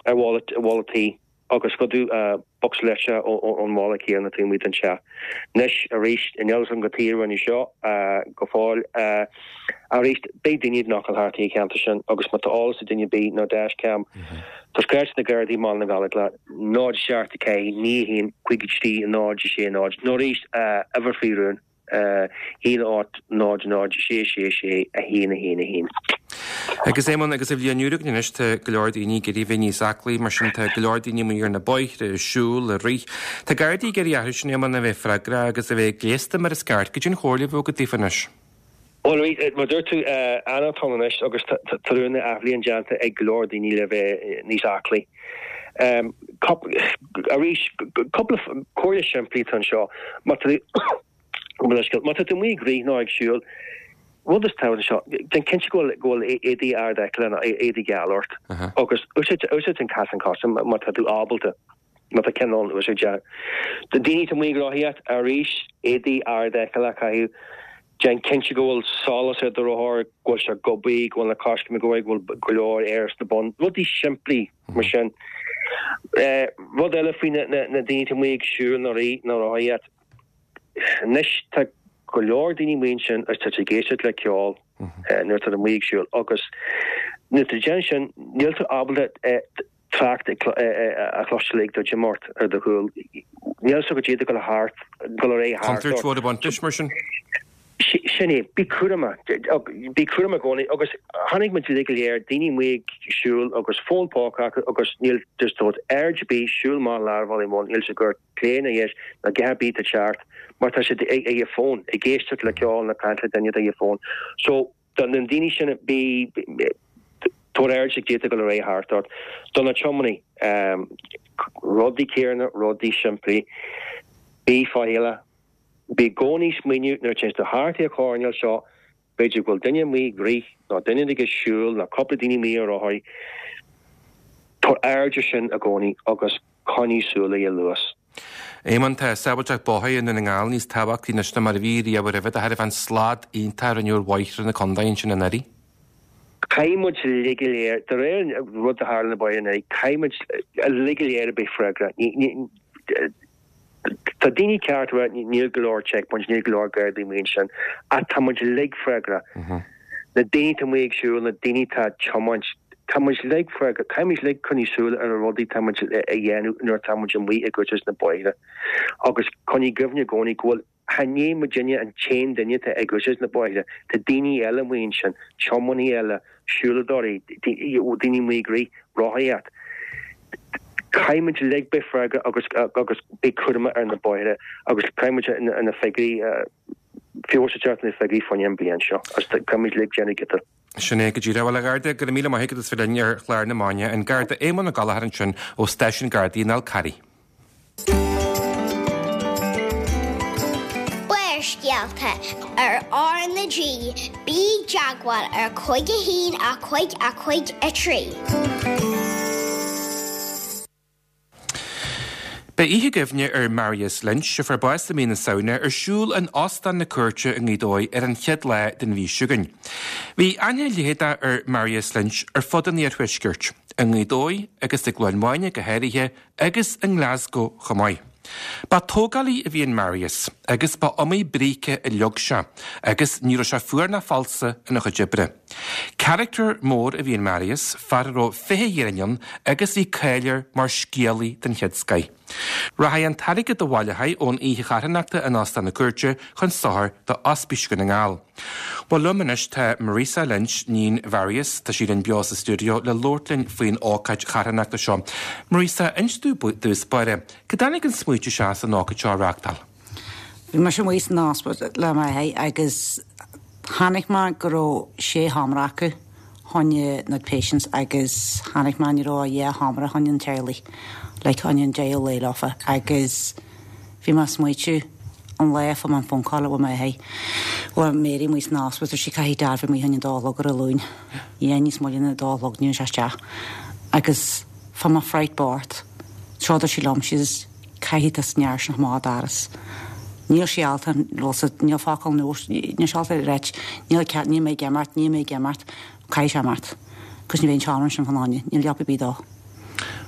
ar bhalla bhalla tí. agus scuabadh bocsa leictreach ón bhalla céanna taobh amuigh den teach. Anois arís, níl 'fhios a'm cad chuige a rinneadh seo go fóill. Arís, beidh daoine ag gabháil thart an cheantar sin agus má tá eolas ag duine ar bith nó dashcam, tabhair scairt na Gardaí i mBaile na nGallóglach, náid seacht a ceathair, naoi a haon, cúig a trí, náid a sé náid, nó arís, uimhir faoi rún. a haon ocht náid náid sé sé sé a haon a haon a haon. Agus Éamonn, agus an bhliain úr againn anois, tá go leor daoine ag iarraidh bheith níos aclaí, mar sin tá go leor daoine amuigh ar na bóithre, ag siúl, ag rith. Tá Gardaí ag iarraidh orthu sin, Éamonn, a bheith freagrach agus a bheith gléasta mar is ceart. Cad é an chomhairle a bheadh agat daofa anois? Bhuel, mar a dúirt tú, Eanáir atá ann anois agus tá rún athbhliain déanta ag go leor daoine le bheith níos aclaí. Arís, cúpla comhairle simplí atá anseo. Má tá Má tá tú amuigh ag rith nó ag siúl, rud is tábhachtaí anseo, déan cinnte go bhfuil go bhfuil éadaí ardfheiceála nó éadaí geal ort agus úsáid úsáid an casán coise má tá tú ábalta, má tá ceann ann, úsáid é. Do daoine atá amuigh ag rothaíocht, arís, éadaí ardfheiceála a chaitheamh, déan cinnte go bhfuil solas ar do rothar, go bhfuil sé gobtha, go bhfuil na coiscéimeanna go bhfuil go leor aer sna boinn, rudaí simplí mar sin. Rud eile faoi na daoine atá amuigh ag siúl nó rith nó rothaíocht, Anois tá go leor daoine amuigh ansin agus tá siad ag éisteacht le ceol nuair atá amuigh ag siúl agus nuair atá déanamh sin níl tú ábalta trácht a chloisteáil ag dul ort ar do chúl. Níl a fhios agat cad é atá ag dul thart, dul ar aghaidh thart ort. Contúirt mhór ag baint leis mar sin. Sin é, bí cúramach, bí cúramach i gcónaí agus chonaic muid uilig go léir daoine amuigh ag siúl agus fón póca acu agus níl just tabhairt aird ar bith, siúl amach lár an bhaile mhóir, níl siad ag amharc clé ná dheis ná a dhath ar bith atá ag teacht mar tá siad ag a fón, ag éisteacht le ceol nó caint le duine atá ag a fón. So do na daoine sin bí tabhair aird cad é atá ag dul ar aghaidh thart ort. Do na tiománaí, rudaí céanna, rudaí simplí, bí faichilleach. Bí i gcónaí ag smaoineamh nuair a téann tú thart ar an choirnéal seo, b'fhéidir go bhfuil duine amuigh ag rith nó duine ag siúl nó cúpla daoine amuigh ar rothaí. Tabhair aird ar sin i gcónaí agus coinnigh súil ar an luas. Éamonn, tá sábháilteacht bóthair i nDún na nGall níos tábhachtaí anois ná mar a bhí riamh roimhe, de thairbhe an slad iontach a rinneadh ar bhóithre na contae ansin anuraidh. Caithfidh muid uilig go léir, de réir an rud a tharla na bóithre anuraidh, caithfidh muid uilig go léir a bheith freagrach. Tá daoine ceart a rá níl go leor checkpoints, níl go leor gardaí amuigh ansin, ach tá muid uilig freagrach. Na daoine atá amuigh ag siúl, na daoine atá ag tiomáint, Tá muid uilig freagrach, caithfidh muid uilig coinní súil ar na rudaí tá muid a dhéanamh nuair atá muid amuigh ag úsáid na bóithre. Agus coinnigh i gcuimhne i gcónaí go bhfuil, chan é muidinne an t-aon duine atá ag úsáid na bóithre, tá daoine eile amuigh ansin, tiománaithe eile, siúladóirí, daoine amuigh ag rith, rothaíocht. Caithfidh muid uilig bheith freagrach agus agus bheith cúramach ar na bóithre agus caithfidh muid na figiúirí, feabhas a theacht ar na figiúirí fá choinne an bhliain seo agus caithfidh muid uilig déanamh giota. Sin é go díreach. Bhuel, a Gharda, go raibh míle maith agat as bheith linn ar chlár na Maidine. An Garda Éamonn Ó Gallchóir ansin ó Stáisiún Gardaí an Fhál Carraigh. Barrscéalta ar R na G, bí i dteagmháil ar cúig a haon a cúig a cúig a trí. Beidh oíche cuimhne ar Marius Lynch, a fuair bás i mí na Samhna, ar siúl in Óstán na Cúirte i nGaoth Dobhair ar an chéad lá den mhí seo chugainn. Bhí aithne leitheadach ar Marius Lynch ar fud an iarthuaiscirt, i nGaoth Dobhair agus i gCluain Mhaine go háirithe, agus i nGlasgow chomh maith. Ba tógálaí a bhí in Marius agus ba iomaí bríce a leag sé agus ní raibh sé fuar ná falsa ina chuid oibre. Carachtar mór a bhí in Marius, fear a raibh fiche fhírinne ann agus bhí cáil air mar scéalaí den chéad scoith. Rachaidh an t-airgead a bhaileofar ón oíche charthanachta in Óstán na Cúirte chun sochair do Ospís Dhún na nGall. Bhuel liom anois tá Marisa Lynch, níon Mharius, tá sí linn beo sa stiúideo le labhairt linn faoin ócáid charthanachta seo. Marisa, inis domh i dtús báire, cá dtáinig an smaoitiú seo as an ócáid seo a reáchtáil? Bhí mise amuigh san ospidéal le m'athair agus chonaic mé go raibh sé sheomra acu choinne na patients agus chonaic mé ní raibh ach dhá sheomra choinne an teaghlaigh, like choinne an deireadh lae leofa agus bhí mé ag smaoitiú an lá a fuair mé an phone call ó m'athair bhfuil Mary amuigh san ospidéal sí caithfidh Dad bheith amuigh choinne a dó a chlog ar an Luan yeah níos moille ná a dó a chlog ní raibh sé isteach agus fuair mé fright bocht seo dúirt sí liom she's caithfidh tú an fhear sin amach an doras níl sí ábalta níl focal nó níl sí ábalta a ráit níl cead níl mé ag imeacht níl mé ag imeacht caithfidh sé imeacht cos ní bheidh an seomra sin fán fháinne níl leaba ar bith dó.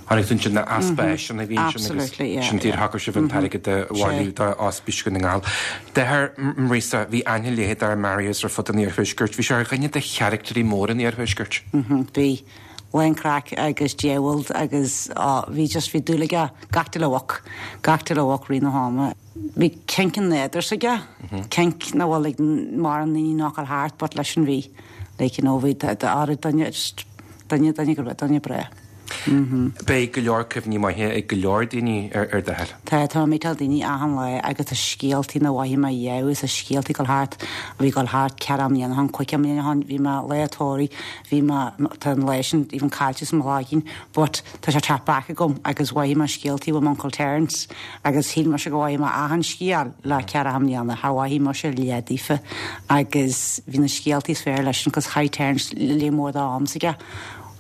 Tháinig tú ansin na easpa áiseanna a bhí ansin agus Absolutely, yeah, sin yeah. tír thacair sibh an t-airgead a bhailiú do Ospís Dhún na nGall. Deartháir Marisa, bhí aithne leitheadach ar Marius ar fud an iarthuaiscirt. Bhí sé ar dhuine de charactairí móra an iarthuaiscirt. Mhm, bhí. Lán craic agus diabhal agus á, bhí just, bhí dúil aige gach uile bhoc, gach uile bhoc rith na hama. Bhí cinc an nádúr s'aige, cinc nach bhfuil ag mórán daoine nach bhfuil thart but leis an bhí. Like, you know, bhí d'áireamh duine, just duine, duine go raibh, duine breá. Beidh go leor cuimhní maithe ag go leor daoine ar ar d'athair. Tá, tá mé ag meetáil daoine achan lá agus tá scéaltaí nach bhfaighidh mé riamh is tá scéaltaí ag dul thart, a bhí ag dul thart ceithre mbliana ó shin, cúig mbliana ó shin, bhí mé lá tórraimh, bhí mé, tá an lá sin even caillte sa mo chloigeann but tá sé teacht back agam agus mhothaigh mé scéaltaí ó m'uncle Terence agus shíl mise go bhfaighidh mé achan scéal le ceithre mbliana, char mhothaigh mise leath daofa agus bhí na scéaltaí is fearr leis sin cos chaith Terence léar mór dá am s'aige.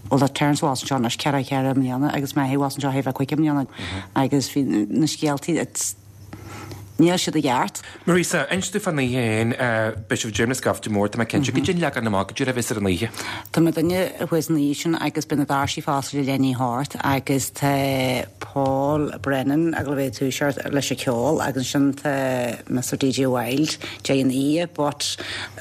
Bhuel tá Terence abhus anseo anois ceithre ceithre mbliana agus m'athair abhus anseo thar cúig mbliana agus bhí na scéaltaí it's níl siad i gceart. Marisa, inis domh fán oíche féin, beidh sibh ag déanamh scaifte mór, tá mé cinnte, goidé an leagan amach, goidé a bheas ar an oíche. Tá mo duine thuas an oíche sin agus beidh na doirsí ag oscailt le leath i ndiaidh a hocht agus tá Paul Brennan ag dul a bheith ag toiseacht leis an ceol agus ansin tá Mister DJ Wilde deireadh an oíche but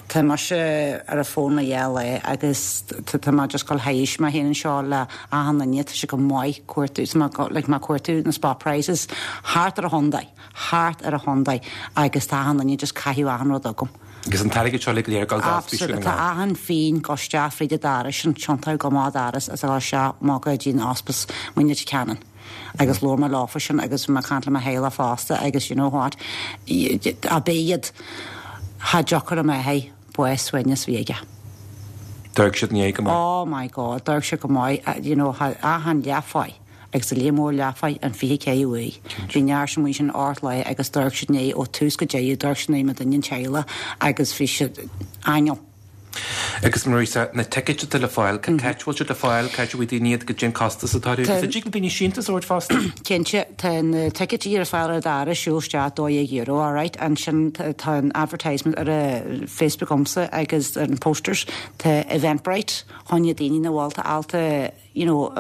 tá mise ar an phone le dhá lá agus tá mé just ag dul théis mé féin anseo le achan duine tá sé go maith cuartú tá mé like mé cuartú na spot prices thart ar an chontae thart ar an chontae agus tá achan duine just caitheamh achan rud agam. Agus an t-airgead seo le go léir ag dul do Ospís Absolutely Dhún na tá nGall. achan phingin ag dul isteach fríd an doras sin tiontaithe go maith doras is ag dul isteach amach go dtí an Ospís muid Leitir Ceanainn. Agus labhair mé leofa sin agus bhí mé ag caint le mo theaghlach fosta agus you know what a b'iad cha deacair a mbeidh bás suaimhneas a bhí aige. D'amharc siad inné go maith. Oh my God, d'amharc siad go maith, you know, achan leathpháigh agus a léar mór leathpháigh an fiche ceathair uaidh. Bhí neart sin amuigh sin ocht lá agus d'amharc siad inné ó tús go deireadh, d'amharc siad inné mo duine an teaghlach agus bhí siad aingeal. Agus Marisa, na ticéid atá le fáil, cá háit a bhfuil siad le fáil, cá háit a bhfaighidh daoine iad, goidé an costas atá orthu, agus an dtig le daoine síntiús a thabhairt fosta? Cinnte, tá na ticéidí ar fáil ar an doras, siúl isteach, dó dhéag euro, all right. Ansin tá an advertisement ar a Facebook agamsa agus ar an posters, tá Eventbrite choinne daoine na bhfuil ábalta you know,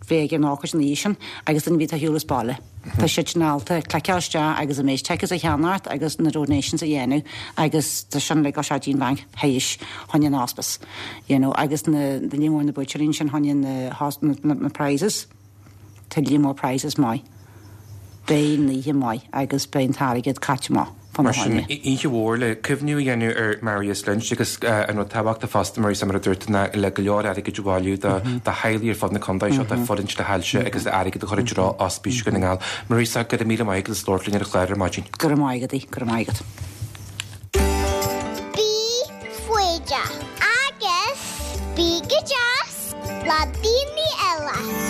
bheith ag an ócáid ina dhiaidh sin agus duine bhí shiúl as baile. Tá siad sin ábalta cliceáil isteach agus a méid tickets a cheannacht agus na donations a dhéanamh agus tá sin le go sé dtí'n banc théis choinne an hospice. You know, agus na líon mór na buaiteoirí sin choinne na, na, na prizes. Tá líon mór prizes maith. Beidh an oíche maith agus beidh an t-airgead caite maith. Mar sin, oíche mhór le cuimhniú a dhéanamh ar Marius Lynch agus an rud tábhachtach fosta mar mar a dúirt ná le go leor airgid a bhailiú do theaghlaigh ar fud na contae seo atá ag fulaingt le hailse agus le airgead a chur i dtreo Ospís Dhún na nGall. Marisa, go raibh míle maith agat as labhairt linn ar an chlár ar maidin. Go raibh maith agat, go raibh maith agat. Bí foighdeach agus bí go deas le daoine eile.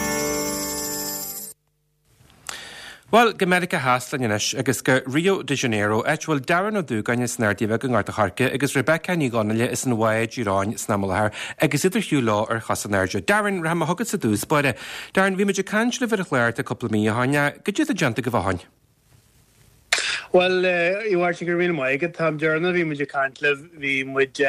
Bhuel, go Meiriceá Theas linn anois agus go Rio de Janeiro, áit a bhfuil Darren Ó Dúgáin as an Ardaidh Bheag i nGort a' Choirce agus Rebecca Ní Dhonnaile as an Mhaigh Díreáin san am i láthair agus iad ar shiúl leo ar chos in airde. Darren, rachaidh mé chugatsa i dtús báire. Darren, bhí muid ag caint libh ar an chlár tá cúpla mí ó shin. Goidé atá déanta agaibh ó shin? Bhuel, a Mháirtín, go raibh míle maith agat. An t-am deireanach bhí muid ag caint libh, bhí muid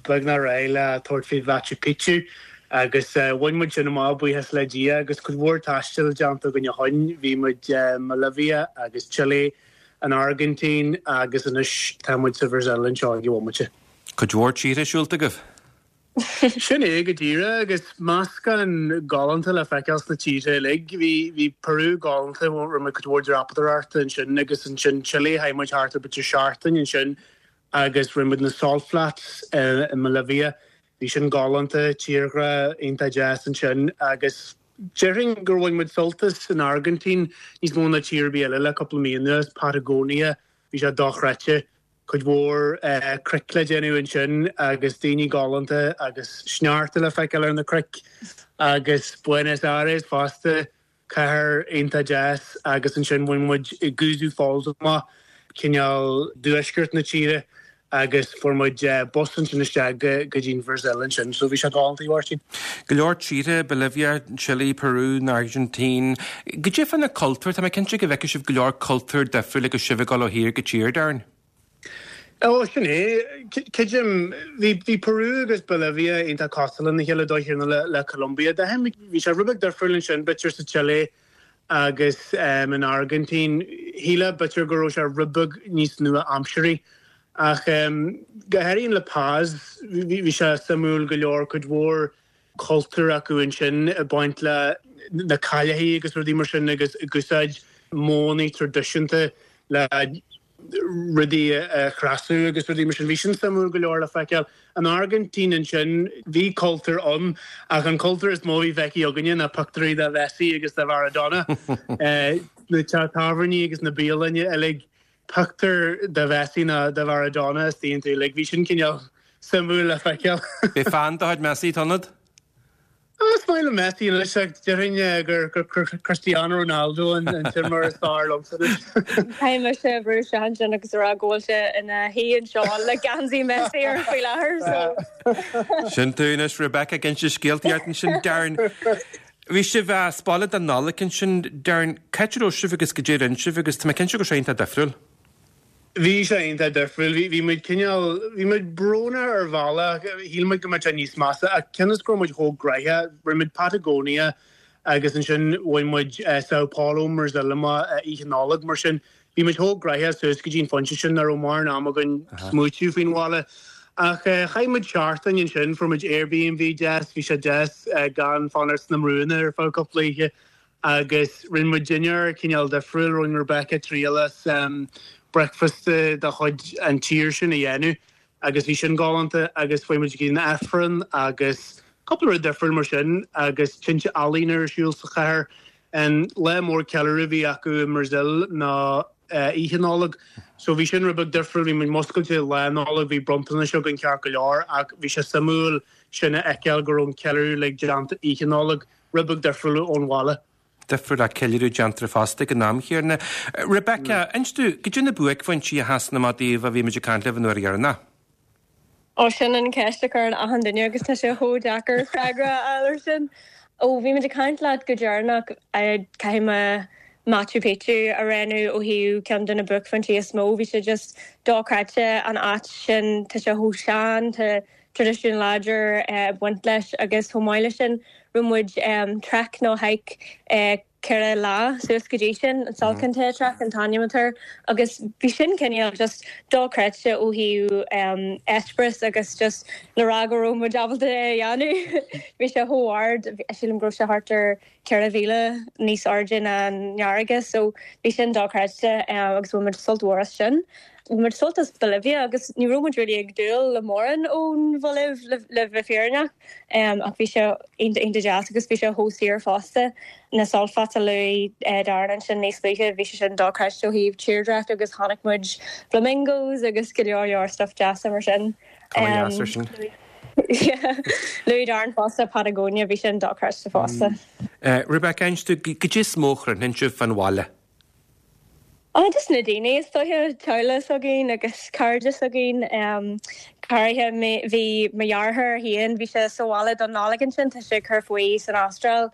beagnach réidh le tabhairt faoi Mhachu Picchu agus bhain muid sin amach, buíochas le Dia, agus cuid mhór taistil déanta againn ó shin. Bhí muid i mBolivia agus Chile, an Airgintín agus anois tá muid sa Bhrasaíl anseo ag an bhomaite. Cuid mhór tíortha siúlta agaibh? Sin é go díreach agus meascán galánta le feiceáil sna tíortha uilig. Bhí bhí Peru galánta, rinne muid cuid mhór dreapadóireachta ansin agus ansin Chile, chaith muid thart ar b'fhéidir seachtain ansin agus rinne muid na salt flats i mBolivia. Bhí sin galánta, tírdhreach iontach deas ansin agus déarfainn gur bhain muid sult as an Airgintín níos mó ná tír ar bith eile le cúpla mí anuas, Patagonia, bhí sé dochreidte. Cuid mhór cnoic le déanamh ansin agus daoine galánta agus sneachta le feiceáil ar na cnoic agus Buenos Aires fosta, cathair iontach deas agus ansin bhain muid Iguazu Falls amach, cineál tuaisceart na tíre agus fuair muid bus ansin isteach go dtí an Bhrasaíl ansin so bhí sé galánta, a Mháirtín. Go leor tíortha, Bolivia, Chile, Peru, an Airgintín. Goidé fá na cultúir, tá mé cinnte go bhfeicfidh sibh go leor cultúr difriúil agus sibh ag dul ó thír go tír, Darren? Ó, sin é. Creidim, bhí bhí Peru agus Bolivia iontach cosúil lena chéile dóigh chéanna le le Colombia. Bhí sé rud beag difriúil ansin, b'fhéidir sa Chile agus um, in Airgintín. Shílfeá b'fhéidir go raibh sé rud beag níos nua-aimsearthaí. Ach um, go háirithe in La Paz, bhí bhí sé suimiúil go leor cuid mhór cultúr acu ansin ag baint le na cailleachaí agus rudaí mar sin agus ag úsáid modhanna traidisiúnta le rudaí a chreasadh agus rudaí mar sin. Bhí sin suimiúil go leor le feiceáil. An Airgintín ansin, bhí cultúr ann ach an cultúr is mó a bhí feicthe againne ná pictiúirí de Mhessi agus de Mharadona. Na tábhairní agus na bialanna uilig pictiúr de Mhessi nó de Mharadona istigh iontu uilig. Bhí sin cineál suimiúil le feiceáil. Bhí fan de chuid Messi san ionad? Is maith liom Messi anois ach déarfainn gur gur Cristiano Ronaldo an an t-imreoir is fearr liomsa anois. Caithfidh mise brú isteach ansin agus a rá go bhfuil sé ina shuí anseo le geansaí Messi air faoi láthair so. Sin tú anois Rebecca ag inse scéalta ort ansin Darren. Bhí sibh as baile don Nollaig ansin Darren, cá háit a raibh sibh agus goidé a rinne sibh agus tá mé cinnte go raibh sé iontach difriúil. Bhí sé iontach difriúil. Bhí bhí muid cineál, bhí muid brónach ar bhealach, shíl muid go mbeadh sé níos measa ach cionn is go raibh muid chomh gnoitheach, rinne muid Patagonia agus ansin bhain muid Sao Paulo ón mBrasaíl amach Oíche Nollag mar sin bhí muid chomh gnoitheach suas go dtí an phointe sin nach raibh mórán am againn smaoitiú faoin bhaile. Ach chaith muid seachtain ansin, fuair muid Airbnb deas, bhí sé deas gan fanacht sna brúnna ar feadh cúpla oíche. Agus rinne muid dinnéar cineál difriúil, rinne Rebecca triail as breakfast de chuid an tír sin a dhéanamh agus bhí sin galánta agus chuaigh muid go dtí an Aifreann agus cúpla rud difriúil mar sin agus tinte ealaíne ar siúl sa chathair. An lá mór ceiliúradh a bhí acu i mBrazil ná Oíche Nollag so bhí sin rud beag difriúil, bhí muid muscailte Lá Nollag, bhí bronntanais againn ceart go leor ach bhí sé suimiúil sin a fheiceáil go raibh an ceiliúradh uilig déanta Oíche Nollag. Rud beag difriúil ón bhaile. Difriúil ach ceiliúradh déantar fosta ag an am chéanna. Rebecca, inis domh, goidé na buaicphointí a sheasann amach daoibh ó bhí muid ag caint libh an uair dheireanach? Ó, sin an ceist a chuireann achan duine agus tá sé chomh deacair freagra a fháil ar sin. Ó bhí muid ag caint leat go deireanach, caithfidh mé Machu Picchu a roghnú ó thaobh ceann de na buaicphointí is mó. Bhí sé just dochreidte an áit sin, tá sé chomh sean, tá traidisiún láidir ag baint leis agus chomh maith leis sin rinne muid trek nó hike ceithre lá suas go dtí sin, an Salkantay Trek an t-ainm atá air agus bhí sin cineál just dochreidte ó thaobh eispéireas agus just le rá go raibh muid ábalta é a dhéanamh. Bhí sé chomh hard, sílim go raibh sé thart ar ceithre mhíle níos airde ná an fharraige so bhí sin dochreidte agus bhain muid sult mhór as sin. Bhain muid sult as Bolivia agus ní raibh muid really ag dúil le mórán ón Bholaiv le bheith fírinneach ach bhí sé iontach iontach deas agus bhí sé chomh saor fosta. Na Salt Flats a luaigh Darren ansin níos luaithe bhí sé sin dochreidte ó thaobh tírdhreach agus chonaic muid flamingos agus go leor leor stuff deasa mar sin. Cuma dheas ar sin. Luaigh Darren fosta Patagonia bhí sin dochreidte fosta. Rebecca, inis dom cad é is mó a chrothnaíonn sibh fán bhaile? Oh, just na daoine is dóiche teaghlach s'againn agus cairde s'againn. Go háirithe bhí mo dheartháir féin bhí sé sa bhaile don Nollaig ansin, tá sé ag cur faoi san Astráil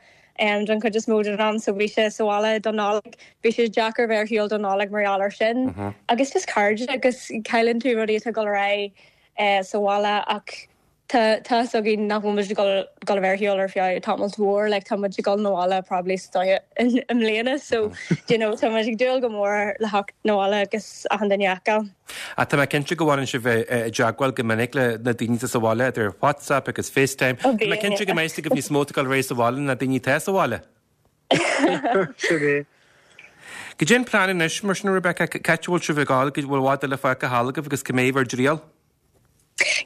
don chuid is mó den am so bhí sé sa bhaile don Nollaig. Bhí sé deacair bheith ar shiúl don Nollaig mar gheall air sin. Agus just cairde agus cailleann tú rudaí atá ag dul ar aghaidh sa bhaile ach Tá tá fhios againn nach bhfuil muid ag dul dul a bheith ar shiúl ar feadh tamall mhór, like tá muid ag dul 'na bhaile probably sa dóigh i mbliana so you know tá muid ag dúil go mór le theacht 'na bhaile agus achan duine a fheiceáil. Ach tá mé cinnte go bhfanann sibh i dteagmháil go minic le na daoine atá sa bhaile idir WhatsApp agus FaceTime. Ó Tá mé bíonn, cinnte go yeah. mbeidh fhios agaibh níos mó atá ag dul ar aghaidh sa bhaile ná daoine atá sa bhaile. Sin é. Cad é an plean anois mar sin Rebecca, cá háit a bhfuil sibh ag dul, go bhfuil i bhfad eile fágtha thall agaibh agus cá mbeidh bhur dtriall?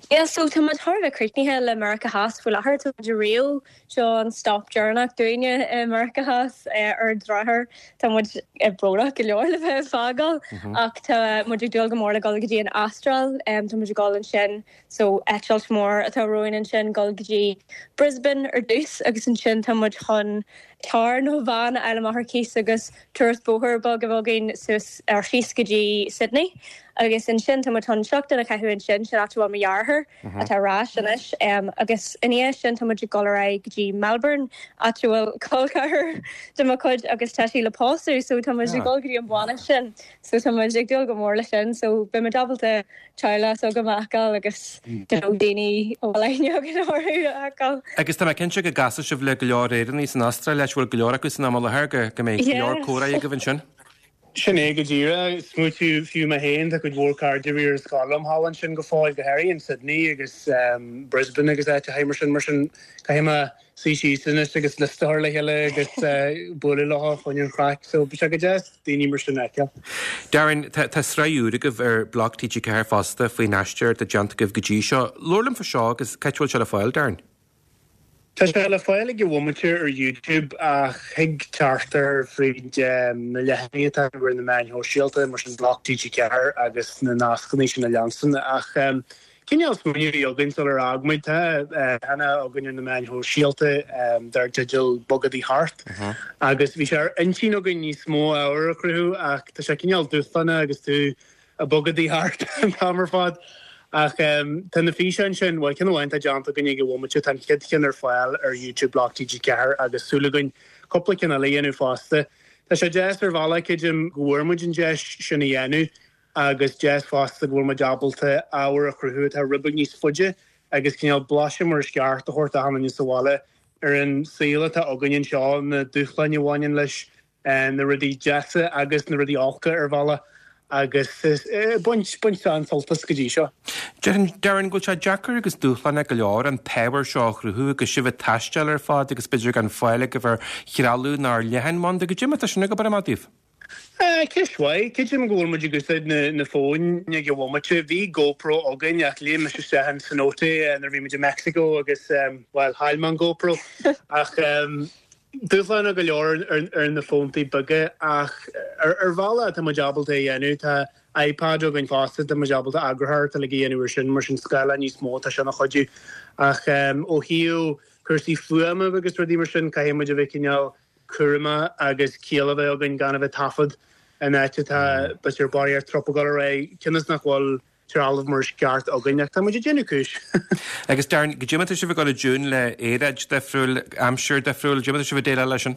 Yeah, so tá muid thar a bheith críochnaithe le Meiriceá Theas faoi láthair, tá muid i Rio, seo an stop deireanach dúinne i Meiriceá Theas ar an drochuair. Tá muid brónach go leor le bheith ag fágáil ach tá muid ag dúil go mór le dul go dtí an Astráil, tá muid ag dul ansin so eitilt mór atá romhainn ansin dul go dtí Brisbane ar dtús agus ansin tá muid chun carr nó veain a fháil amach ar cíos agus turas bóthair beag a bheith againn suas ar síos go dtí Sydney. Agus ansin tá muid chun seachtain a chaitheamh ansin, sin áit a bhfuil mo dheartháir atá ar ais anois, agus ina dhiaidh sin tá muid ag dul ar aghaidh go dtí Melbourne, áit a bhfuil col ceathar de mo chuid agus tá sí le pósadh so tá muid ag dul go dtí an bhainis sin so tá muid ag dúil go mór leis sin so beidh muid ábalta teaghlach s'agam a fheiceáil agus you know daoine a bhfuil aithne againn orthu a fheiceáil. Agus tá mé cinnte go gcasfaidh sibh le go leor Éireannaigh san Astráil, áit a bhfuil go leor acu san am i láthair, go go mbeidh go leor Yes. comhrá agaibh ansin. Sin é go díreach. Smaoitiú fiú mé féin, tá cuid mhór cairde a bhí ar scoil liom thall ansin go fóill, go háirithe in Sydney agus Brisbane agus áiteacha mar sin, mar sin caithfidh mé suí síos anois agus liosta a chur le chéile agus bualadh leo chun an chraic. So bhí sé go deas daoine mar sin a fheiceáil. Darren, tá tá sraith úr agaibh ar Bloc T G ceathair fosta faoin aistear atá déanta agaibh go dtí seo. Labhair liom fá seo agus cá háit a bhfuil sé le fáil, Darren? Tá sé le fáil ag an bhomaite ar YouTube ach thig teacht air fríd na leathanaigh atá ar na meáin shóisialta, mar sin Bloc T G ceathair agus na nascanna sin a leanstan. Ach cineál smaoineamh a bhí againn sular fhág muid, tá leathanach againn ar na meáin shóisialta dar teideal Bogadaí Thart agus bhí sé ar intinn againn níos mó ábhair a chruthú ach tá sé cineál dúshlánach agus tú ag bogadaí thart an t-am ar fad. Ach tá na físeáin sin, bhuel, ceann amháin atá déanta againn ag an bhomaite, tá an chéad cheann ar fáil ar YouTube Bloc T G ceathair agus súil againn cúpla ceann eile a dhéanamh fosta. Tá sé deas ar bhealach, creidim, go bhfuair muid an deis sin a dhéanamh agus deas fosta go bhfuil muid ábalta ábhar a chruthú atá rud beag níos faide agus cineál blaiseadh mar is ceart a thabhairt d'achan duine sa bhaile ar an saol atá againn anseo, na dúshláin a bhaineann leis, na rudaí deasa agus na rudaí olca ar bhealach agus baint baint an-sult as go dtí seo. Déarfainn, Darren, go bhfuil sé deacair agus dúshlánach go leor an t-ábhar seo a chruthú agus sibh ag taisteal ar fad agus b'fhéidir gan fáil agaibh ar threalamh ná ar leathanbhanda. Goidé mar atá sin ag obair amach daoibh? Ceist mhaith. Creidim go bhfuil muid ag úsáid na na fóin ag an bhomaite. Bhí GoPro againn ach léim mise isteach in cenote nuair a bhí muid i Mexico agus, bhuel, chaill mé an GoPro. Ach dúshlánach go leor ar na fóntaí beaga ach ar bhealach tá muid ábalta é a dhéanamh. Tá iPad againn fosta, tá muid ábalta eagarthóireacht uilig a dhéanamh ar sin, mar sin scáileán níos mó, tá sin ina chuidiú. Ach ó thaobh cúrsaí fuaime agus rudaí mar sin, caithfidh muid a bheith cineál cúramach agus ciall a bheith againn gan a bheith ag taifead in áit atá b'fhéidir barraíocht tropaiceáil ar aghaidh, cionn is nach bhfuil trealamh mar is ceart againn ach tá muid ag déanamh cúis. Agus Darren, goidé mar atá sibh ag dul i dtiúin le aeráid difriúil, aimsir difriúil, goidé mar atá sibh ag déileáil leis sin?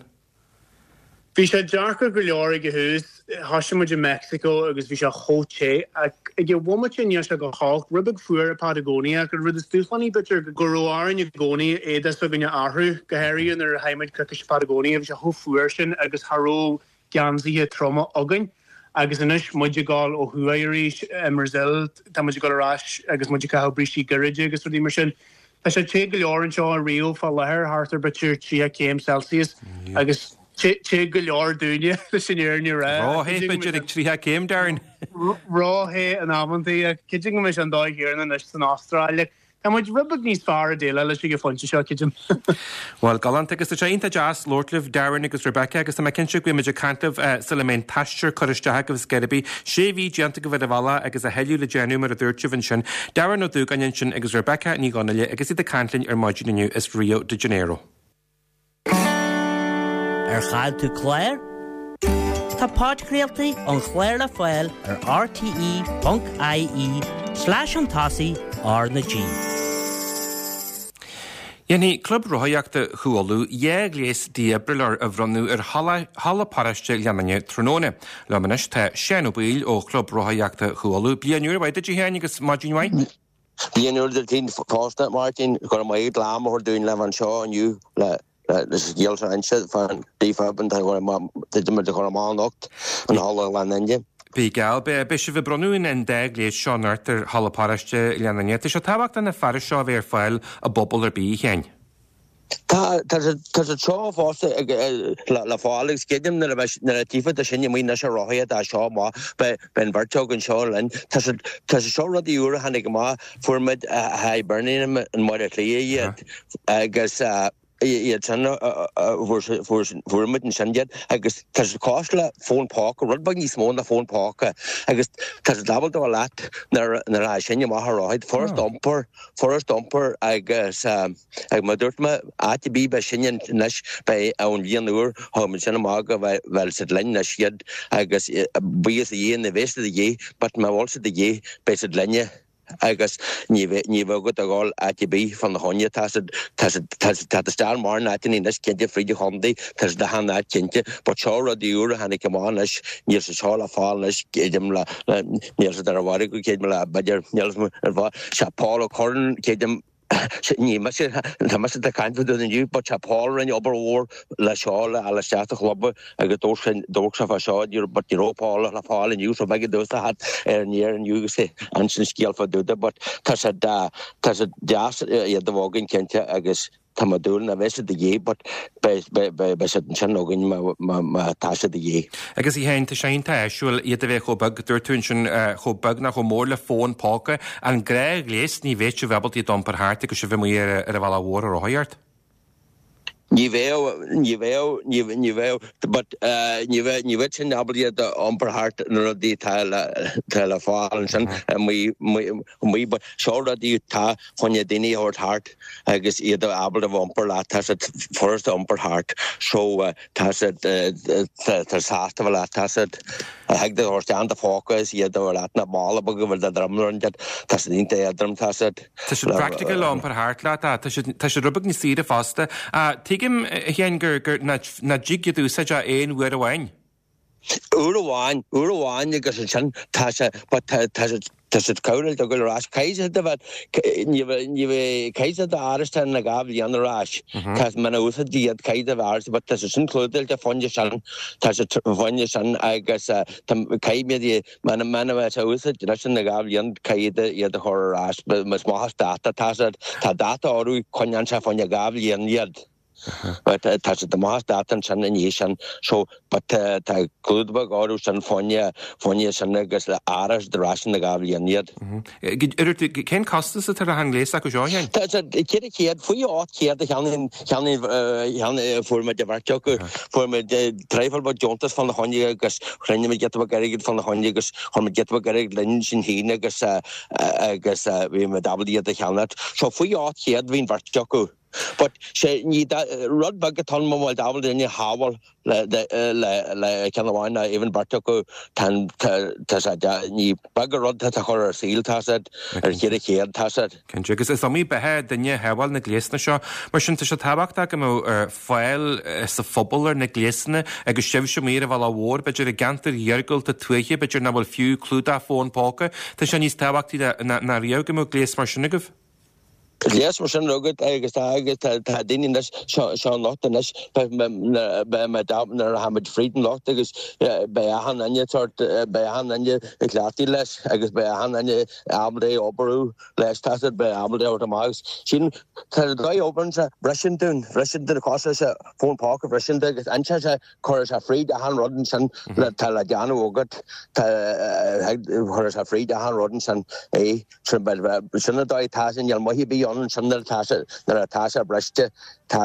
Bhí sé deacair go leor ag an tús, thosaigh muid i Meicsiceo agus bhí sé chomh te ach ag an bhomaite níl sé go holc, rud beag fuar i Patagonia ach an rud is dúshlánaí b'fhéidir go raibh orainn i gcónaí éadaí s'againne a athrú, go háirithe nuair a chaith muid coicís i Patagonia, bhí sé chomh fuar sin agus cha raibh geansaithe troma againn. Agus anois muid ag dul ó thuaidh arís i mBrazil, tá muid ag dul ar ais agus muid ag caitheamh brístí gairide agus rudaí mar sin. Tá sé te go leor anseo i Rio fá láthair, thart ar b'fhéidir tríocha céim Celsius agus te go leor dúinne leis an fhírinne a rá. Ró-the b'fhéidir ag tríocha céim, Darren. Ró-the in amantaí ach creidim go mbeidh sé an dóigh chéanna anois san Astráil. Tá muid rud beag níos fearr ag déileáil leis ag an phointe seo, creidim. Bhuel, galánta agus tá sé iontach deas labhairt libh, Darren agus Rebecca, agus tá mé cinnte go mbeidh muid ag caint libh sula mbeidh an t-aistear curtha isteach agaibh ar scor ar bith. Sé mhí déanta agaibh ar an bhealach agus a thuilleadh le déanamh mar a dúirt sibh ansin. Darren Ó Dúgáin ansin agus Rebecca Ní Dhonnaile agus iad ag caint linn ar maidin inniu as Rio de Janeiro. Ar chaill tú clár? Tá podchraoltaí an chláir le fáil ar rte ponc ie slash chun tosaigh R na G. Dhéanfaidh Club Rothaíochta Chú Uladh dhá ghléas dífhibrileoir a bhronnadh ar Halla Paráiste Ghleann Fhinne tráthnóna. Liom anois tá Seán Ó Baoill ó Chlub Rothaíochta Chú Uladh. Bliain úr mhaith duit a Sheáin agus maidin mhaith. Bliain úr duit fosta, Máirtín. Go raibh maith agat le am a thabhairt dúinn le bheith anseo inniu le le scéal seo a inse fán defib atá muid a chur amach anocht in Halla Ghleann Fhinne. Bí geall, beidh sibh ag bronnadh an dá ghléas seo anocht ar Halla Paráiste Ghleann Fhinne. Tá sé tábhachtach na fearais seo a bheith ar fáil i bpobal ar bith, a Sheáin. Tá tá tá siad seo fosta le fáil agus creidim nuair a bheidh nuair a tchífidh tú sinn amuigh anois ag rothaíocht as seo amach beidh beidh an bheirt againn seo linn. Tá siad tá siad seo rudaí úra a tháinig amach fuair muid i Birmingham i mBaile Átha Cliath iad agus iad sin fuair muid ansin iad agus tá siad cosúil le fón póca, rud beag níos mó ná fón póca agus tá siad ábalta a bheith leat nuair nuair a sinn amach ag rothaíocht furast iompar furast iompar agus ag mar dúirt mé áit ar bith beidh sinne anois beidh ón bhliain úr thug muid sin amach go bhfuil siad linn anois iad agus buíochas a Dhia ní bheidh siad de dhíth but má bhfuil siad de dhíth beidh siad linne agus ní bheidh ní bheidh agat a dhul áit ar bith fána choinne tá siad tá siad tá siad tá isteach mórán áiteanna anois cinnte fríd an chontae tá siad achan áit cinnte but seo rudaí úra a tháinig amach anois níl siad seo le fáil anois creidim le le níl siad ar an mhargadh creidim le b'fhéidir níl ar fáil sé Paul Ó Curran creidim ní mise tá mise ag caint fá dtaobh inniu but sé Paul a rinne obair mhór le seo le fháil isteach sa chlub agus dúirt sé dúirt sé fá seo but ní raibh Paul le fáil inniu so b'éigean domhsa a theacht ar an aer inniu agus ansin scéal fá dtaobh de but tá sé tá sé deas iad a bheith againn cinnte agus tá mé ag dúil nach mbeidh siad de dhíth but beidh beidh siad ansin againn má má má tá siad de dhíth. Agus a Sheáin, tá sé iontach áisiúil iad a bheith chomh beag, dúirt tú ansin chomh beag nó chomh mór le fón póca, an gnáthghléas ní bheadh sibh ábalta iad a iompar thart agus sibh amuigh ar ar an bhealach mhór ag rothaíocht. Ní bheadh, ní bheadh, ní ní bheadh, but ní bheadh, ní bheadh sin ábalta iad a iompar thart na rudaí atá le atá le fáil ansin amuigh amuigh but seo rudaí atá chun na daoine a thabhairt thart agus iad ábalta a iompar leat, tá siad furast a iompar thart so tá siad tá sásta bheith leat, tá siad thig do thabhairt isteach in do phóca is iad a bheith leat na mála beag a bhfuil do dhroim roinnt tá siad iontach éadrom, tá siad. Tá siad practical le iompar thart leat, tá siad tá siad rud beag níos saoire fosta. Tuigim a Sheáin gur gur nach dtig iad a úsáid ach aon uair amháin. Uair amháin, uair amháin agus ansin tá sé but tá tá siad tá siad cóireáilte ag dul ar ais. Caithfidh siad a bheith ní bheidh ní bheidh caithfidh siad a fhearas na dhá bhliain ar ais. Tá muna úsáid iad caithfidh a bheith fhearas but tá siad sin clúdaíte fá choinne sin tá siad fá choinne sin agus tá caithfidh iad Muna muna mbeidh sé úsáid leis an dhá bhliain caithfidh iad a chur ar ais. Is maith as dáta tá siad. Tá dáta orthu coinneáil sé fá choinne dhá bhliain iad. But tá siad amach as dáta ansin i ndiaidh sin. So but tá tá clúdach beag orthu sin fá choinne fá choinne sin agus le árachas ar ais na dhá bhliain iad. Cén costas atá ar an ngléas acu seo, a Sheáin? Tá siad ceithre chéad, faoi ocht chéad a cheannaigh cheannaigh cheannaigh fuair muid an bheirt acu. Fuair muid traidhfil beag deontas fána choinne agus chruinnigh muid giota beag airgid fána choinne agus chuir muid giota beag airgid linn sinn féin agus agus bhí muid ábalta iad a cheannacht. So faoi ocht chéad bhí an bheirt acu. But sé ní rud beag atá ann mura bhfuil ábalta duine a shábháil le le le ceann amháin ná even beirt acu tá tá sé ní beag an rud atá chur ar saol tá siad ar cheithre chéad tá siad. Cinnte, agus is iomaí beatha duine a shábháil na gléasanna seo. Mar sin tá sé tábhachtach go mbeadh fáil sa phobal ar na gléasanna agus sibhse amuigh ar an bhealach mhór, b'fhéidir i gceantair iargúlta tuaithe, b'fhéidir nach bhfuil fiú clúdach fón póca. Tá sé níos tábhachtaí ná riamh go mbeadh gléas mar sin agaibh. Gléas mar sin agat agus tá agus tá tá daoine anois seo seo anocht anois beidh beidh mé nuair a tháimid fríd anocht agus beidh achan duine sort beidh achan duine ag cleachtadh leis agus beidh achan duine ábalta é a oibriú leis tá siad beidh ábalta é a thabhairt amach agus sin tá dóigh oibreann sé bhriseann dún bhriseann dún cosúil leis fón póca bhriseann tú agus ansin sé cuireann sé fríd achan rud ansin le tá le déanamh agat tá cuireann sé fríd achan rud ansin é sin sin an dóigh tá sé níl maith ar bith ann ansin nuair atá sé nuair atá sé briste tá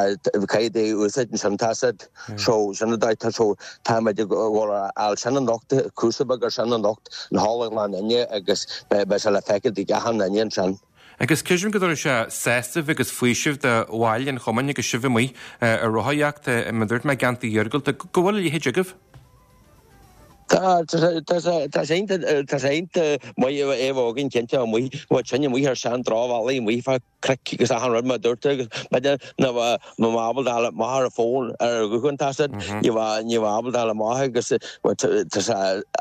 caithfidh tú úsáid ansin tá siad so sin an dóigh tá so tá muid ag dul ar fháil sin anocht cúrsa beag ar sin anocht in Halla Ghleann Fhinne agus beidh sé le feiceáil ag achan duine ansin. Agus creidim go dtabharfaidh sé sásamh agus faoiseamh do bhaill an chumainn agus sibh amuigh ar rothaíocht, mar a dúirt mé, i gceantair iargúlta, go bhfuil a leithéid agaibh. Tá, tá sé, tá sé, tá sé iontach, tá sé iontach maith é a bheith againn cinnte amuigh, bhuel sinne amuigh ar sean drochbhealaí amuigh fá chnoic agus achan rud mar a dúirt tú agus b'fhéidir nach bhfuil mé ábalta dul amach ar an bhfón ar an ghuthán tá siad, ní bheadh, ní bheadh ábalta dul amach agus bhuel tá sé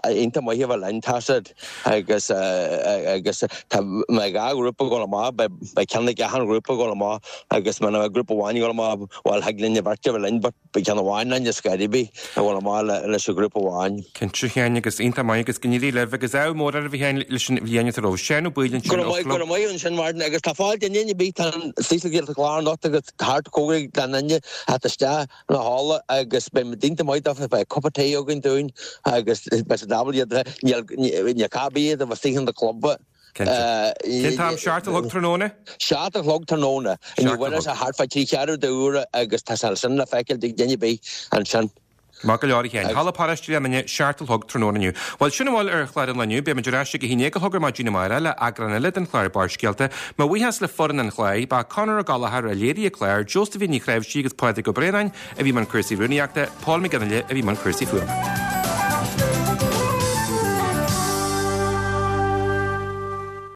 iontach maith a bheith linn tá siad agus agus tá mé dhá ghrúpa ag dul amach, beidh, beidh ceann ag achan ghrúpa ag dul amach agus muna mbeadh grúpa amháin ag dul amach bhuel thig linn an bheirt a bheith linn but Beidh ceann amháin linn ar scor ar bith a dhul amach leis an ghrúpa amháin. Cinnte, a Sheáin, agus iontach maith agus go n-éirí libh agus ádh mór oraibh a Sheáin leis an bhliain atá romhaibh. Seán Ó Baoill ansin Go raibh maith, go raibh maith ansin Martin agus tá fáilte in aon bith, tá an Saoirse Clár anocht agus thart cóngarach don duine at isteach na halla agus beidh muid iontach maith dófa, beidh cupa tae againn dúinn agus beidh siad ábalta iad, níl, níl cá bith iad a bheith istigh in the club. Cinnte. Cén t-am? Seacht a chlog tráthnóna? Seacht a chlog tráthnóna. Inniu bhain sé thart fá trí cheathrú d'uaire agus tá sé sin le feiceáil ag duine ar bith ansin. Maith go leor a Sheáin. Halla Paráiste Ghleann Fhinne, seacht a chlog tráthnóna inniu. Bhuel, sin a bhfuil ar chlár an lae inniu. Beidh muid ar ais ag a haon déag a chlog ar maidin amárach le eagrán eile den chlár Barrscéalta. Mo bhuíochas le foireann an chláir, ba Conor Ó Gallchóir a léirigh an clár, Josephine Ní Chnáimhsí agus Pádraig Ó Braonáin a bhí i mbun cúrsaí rúnaíochta, Paul McGinley a bhí i mbun cúrsaí fuaime.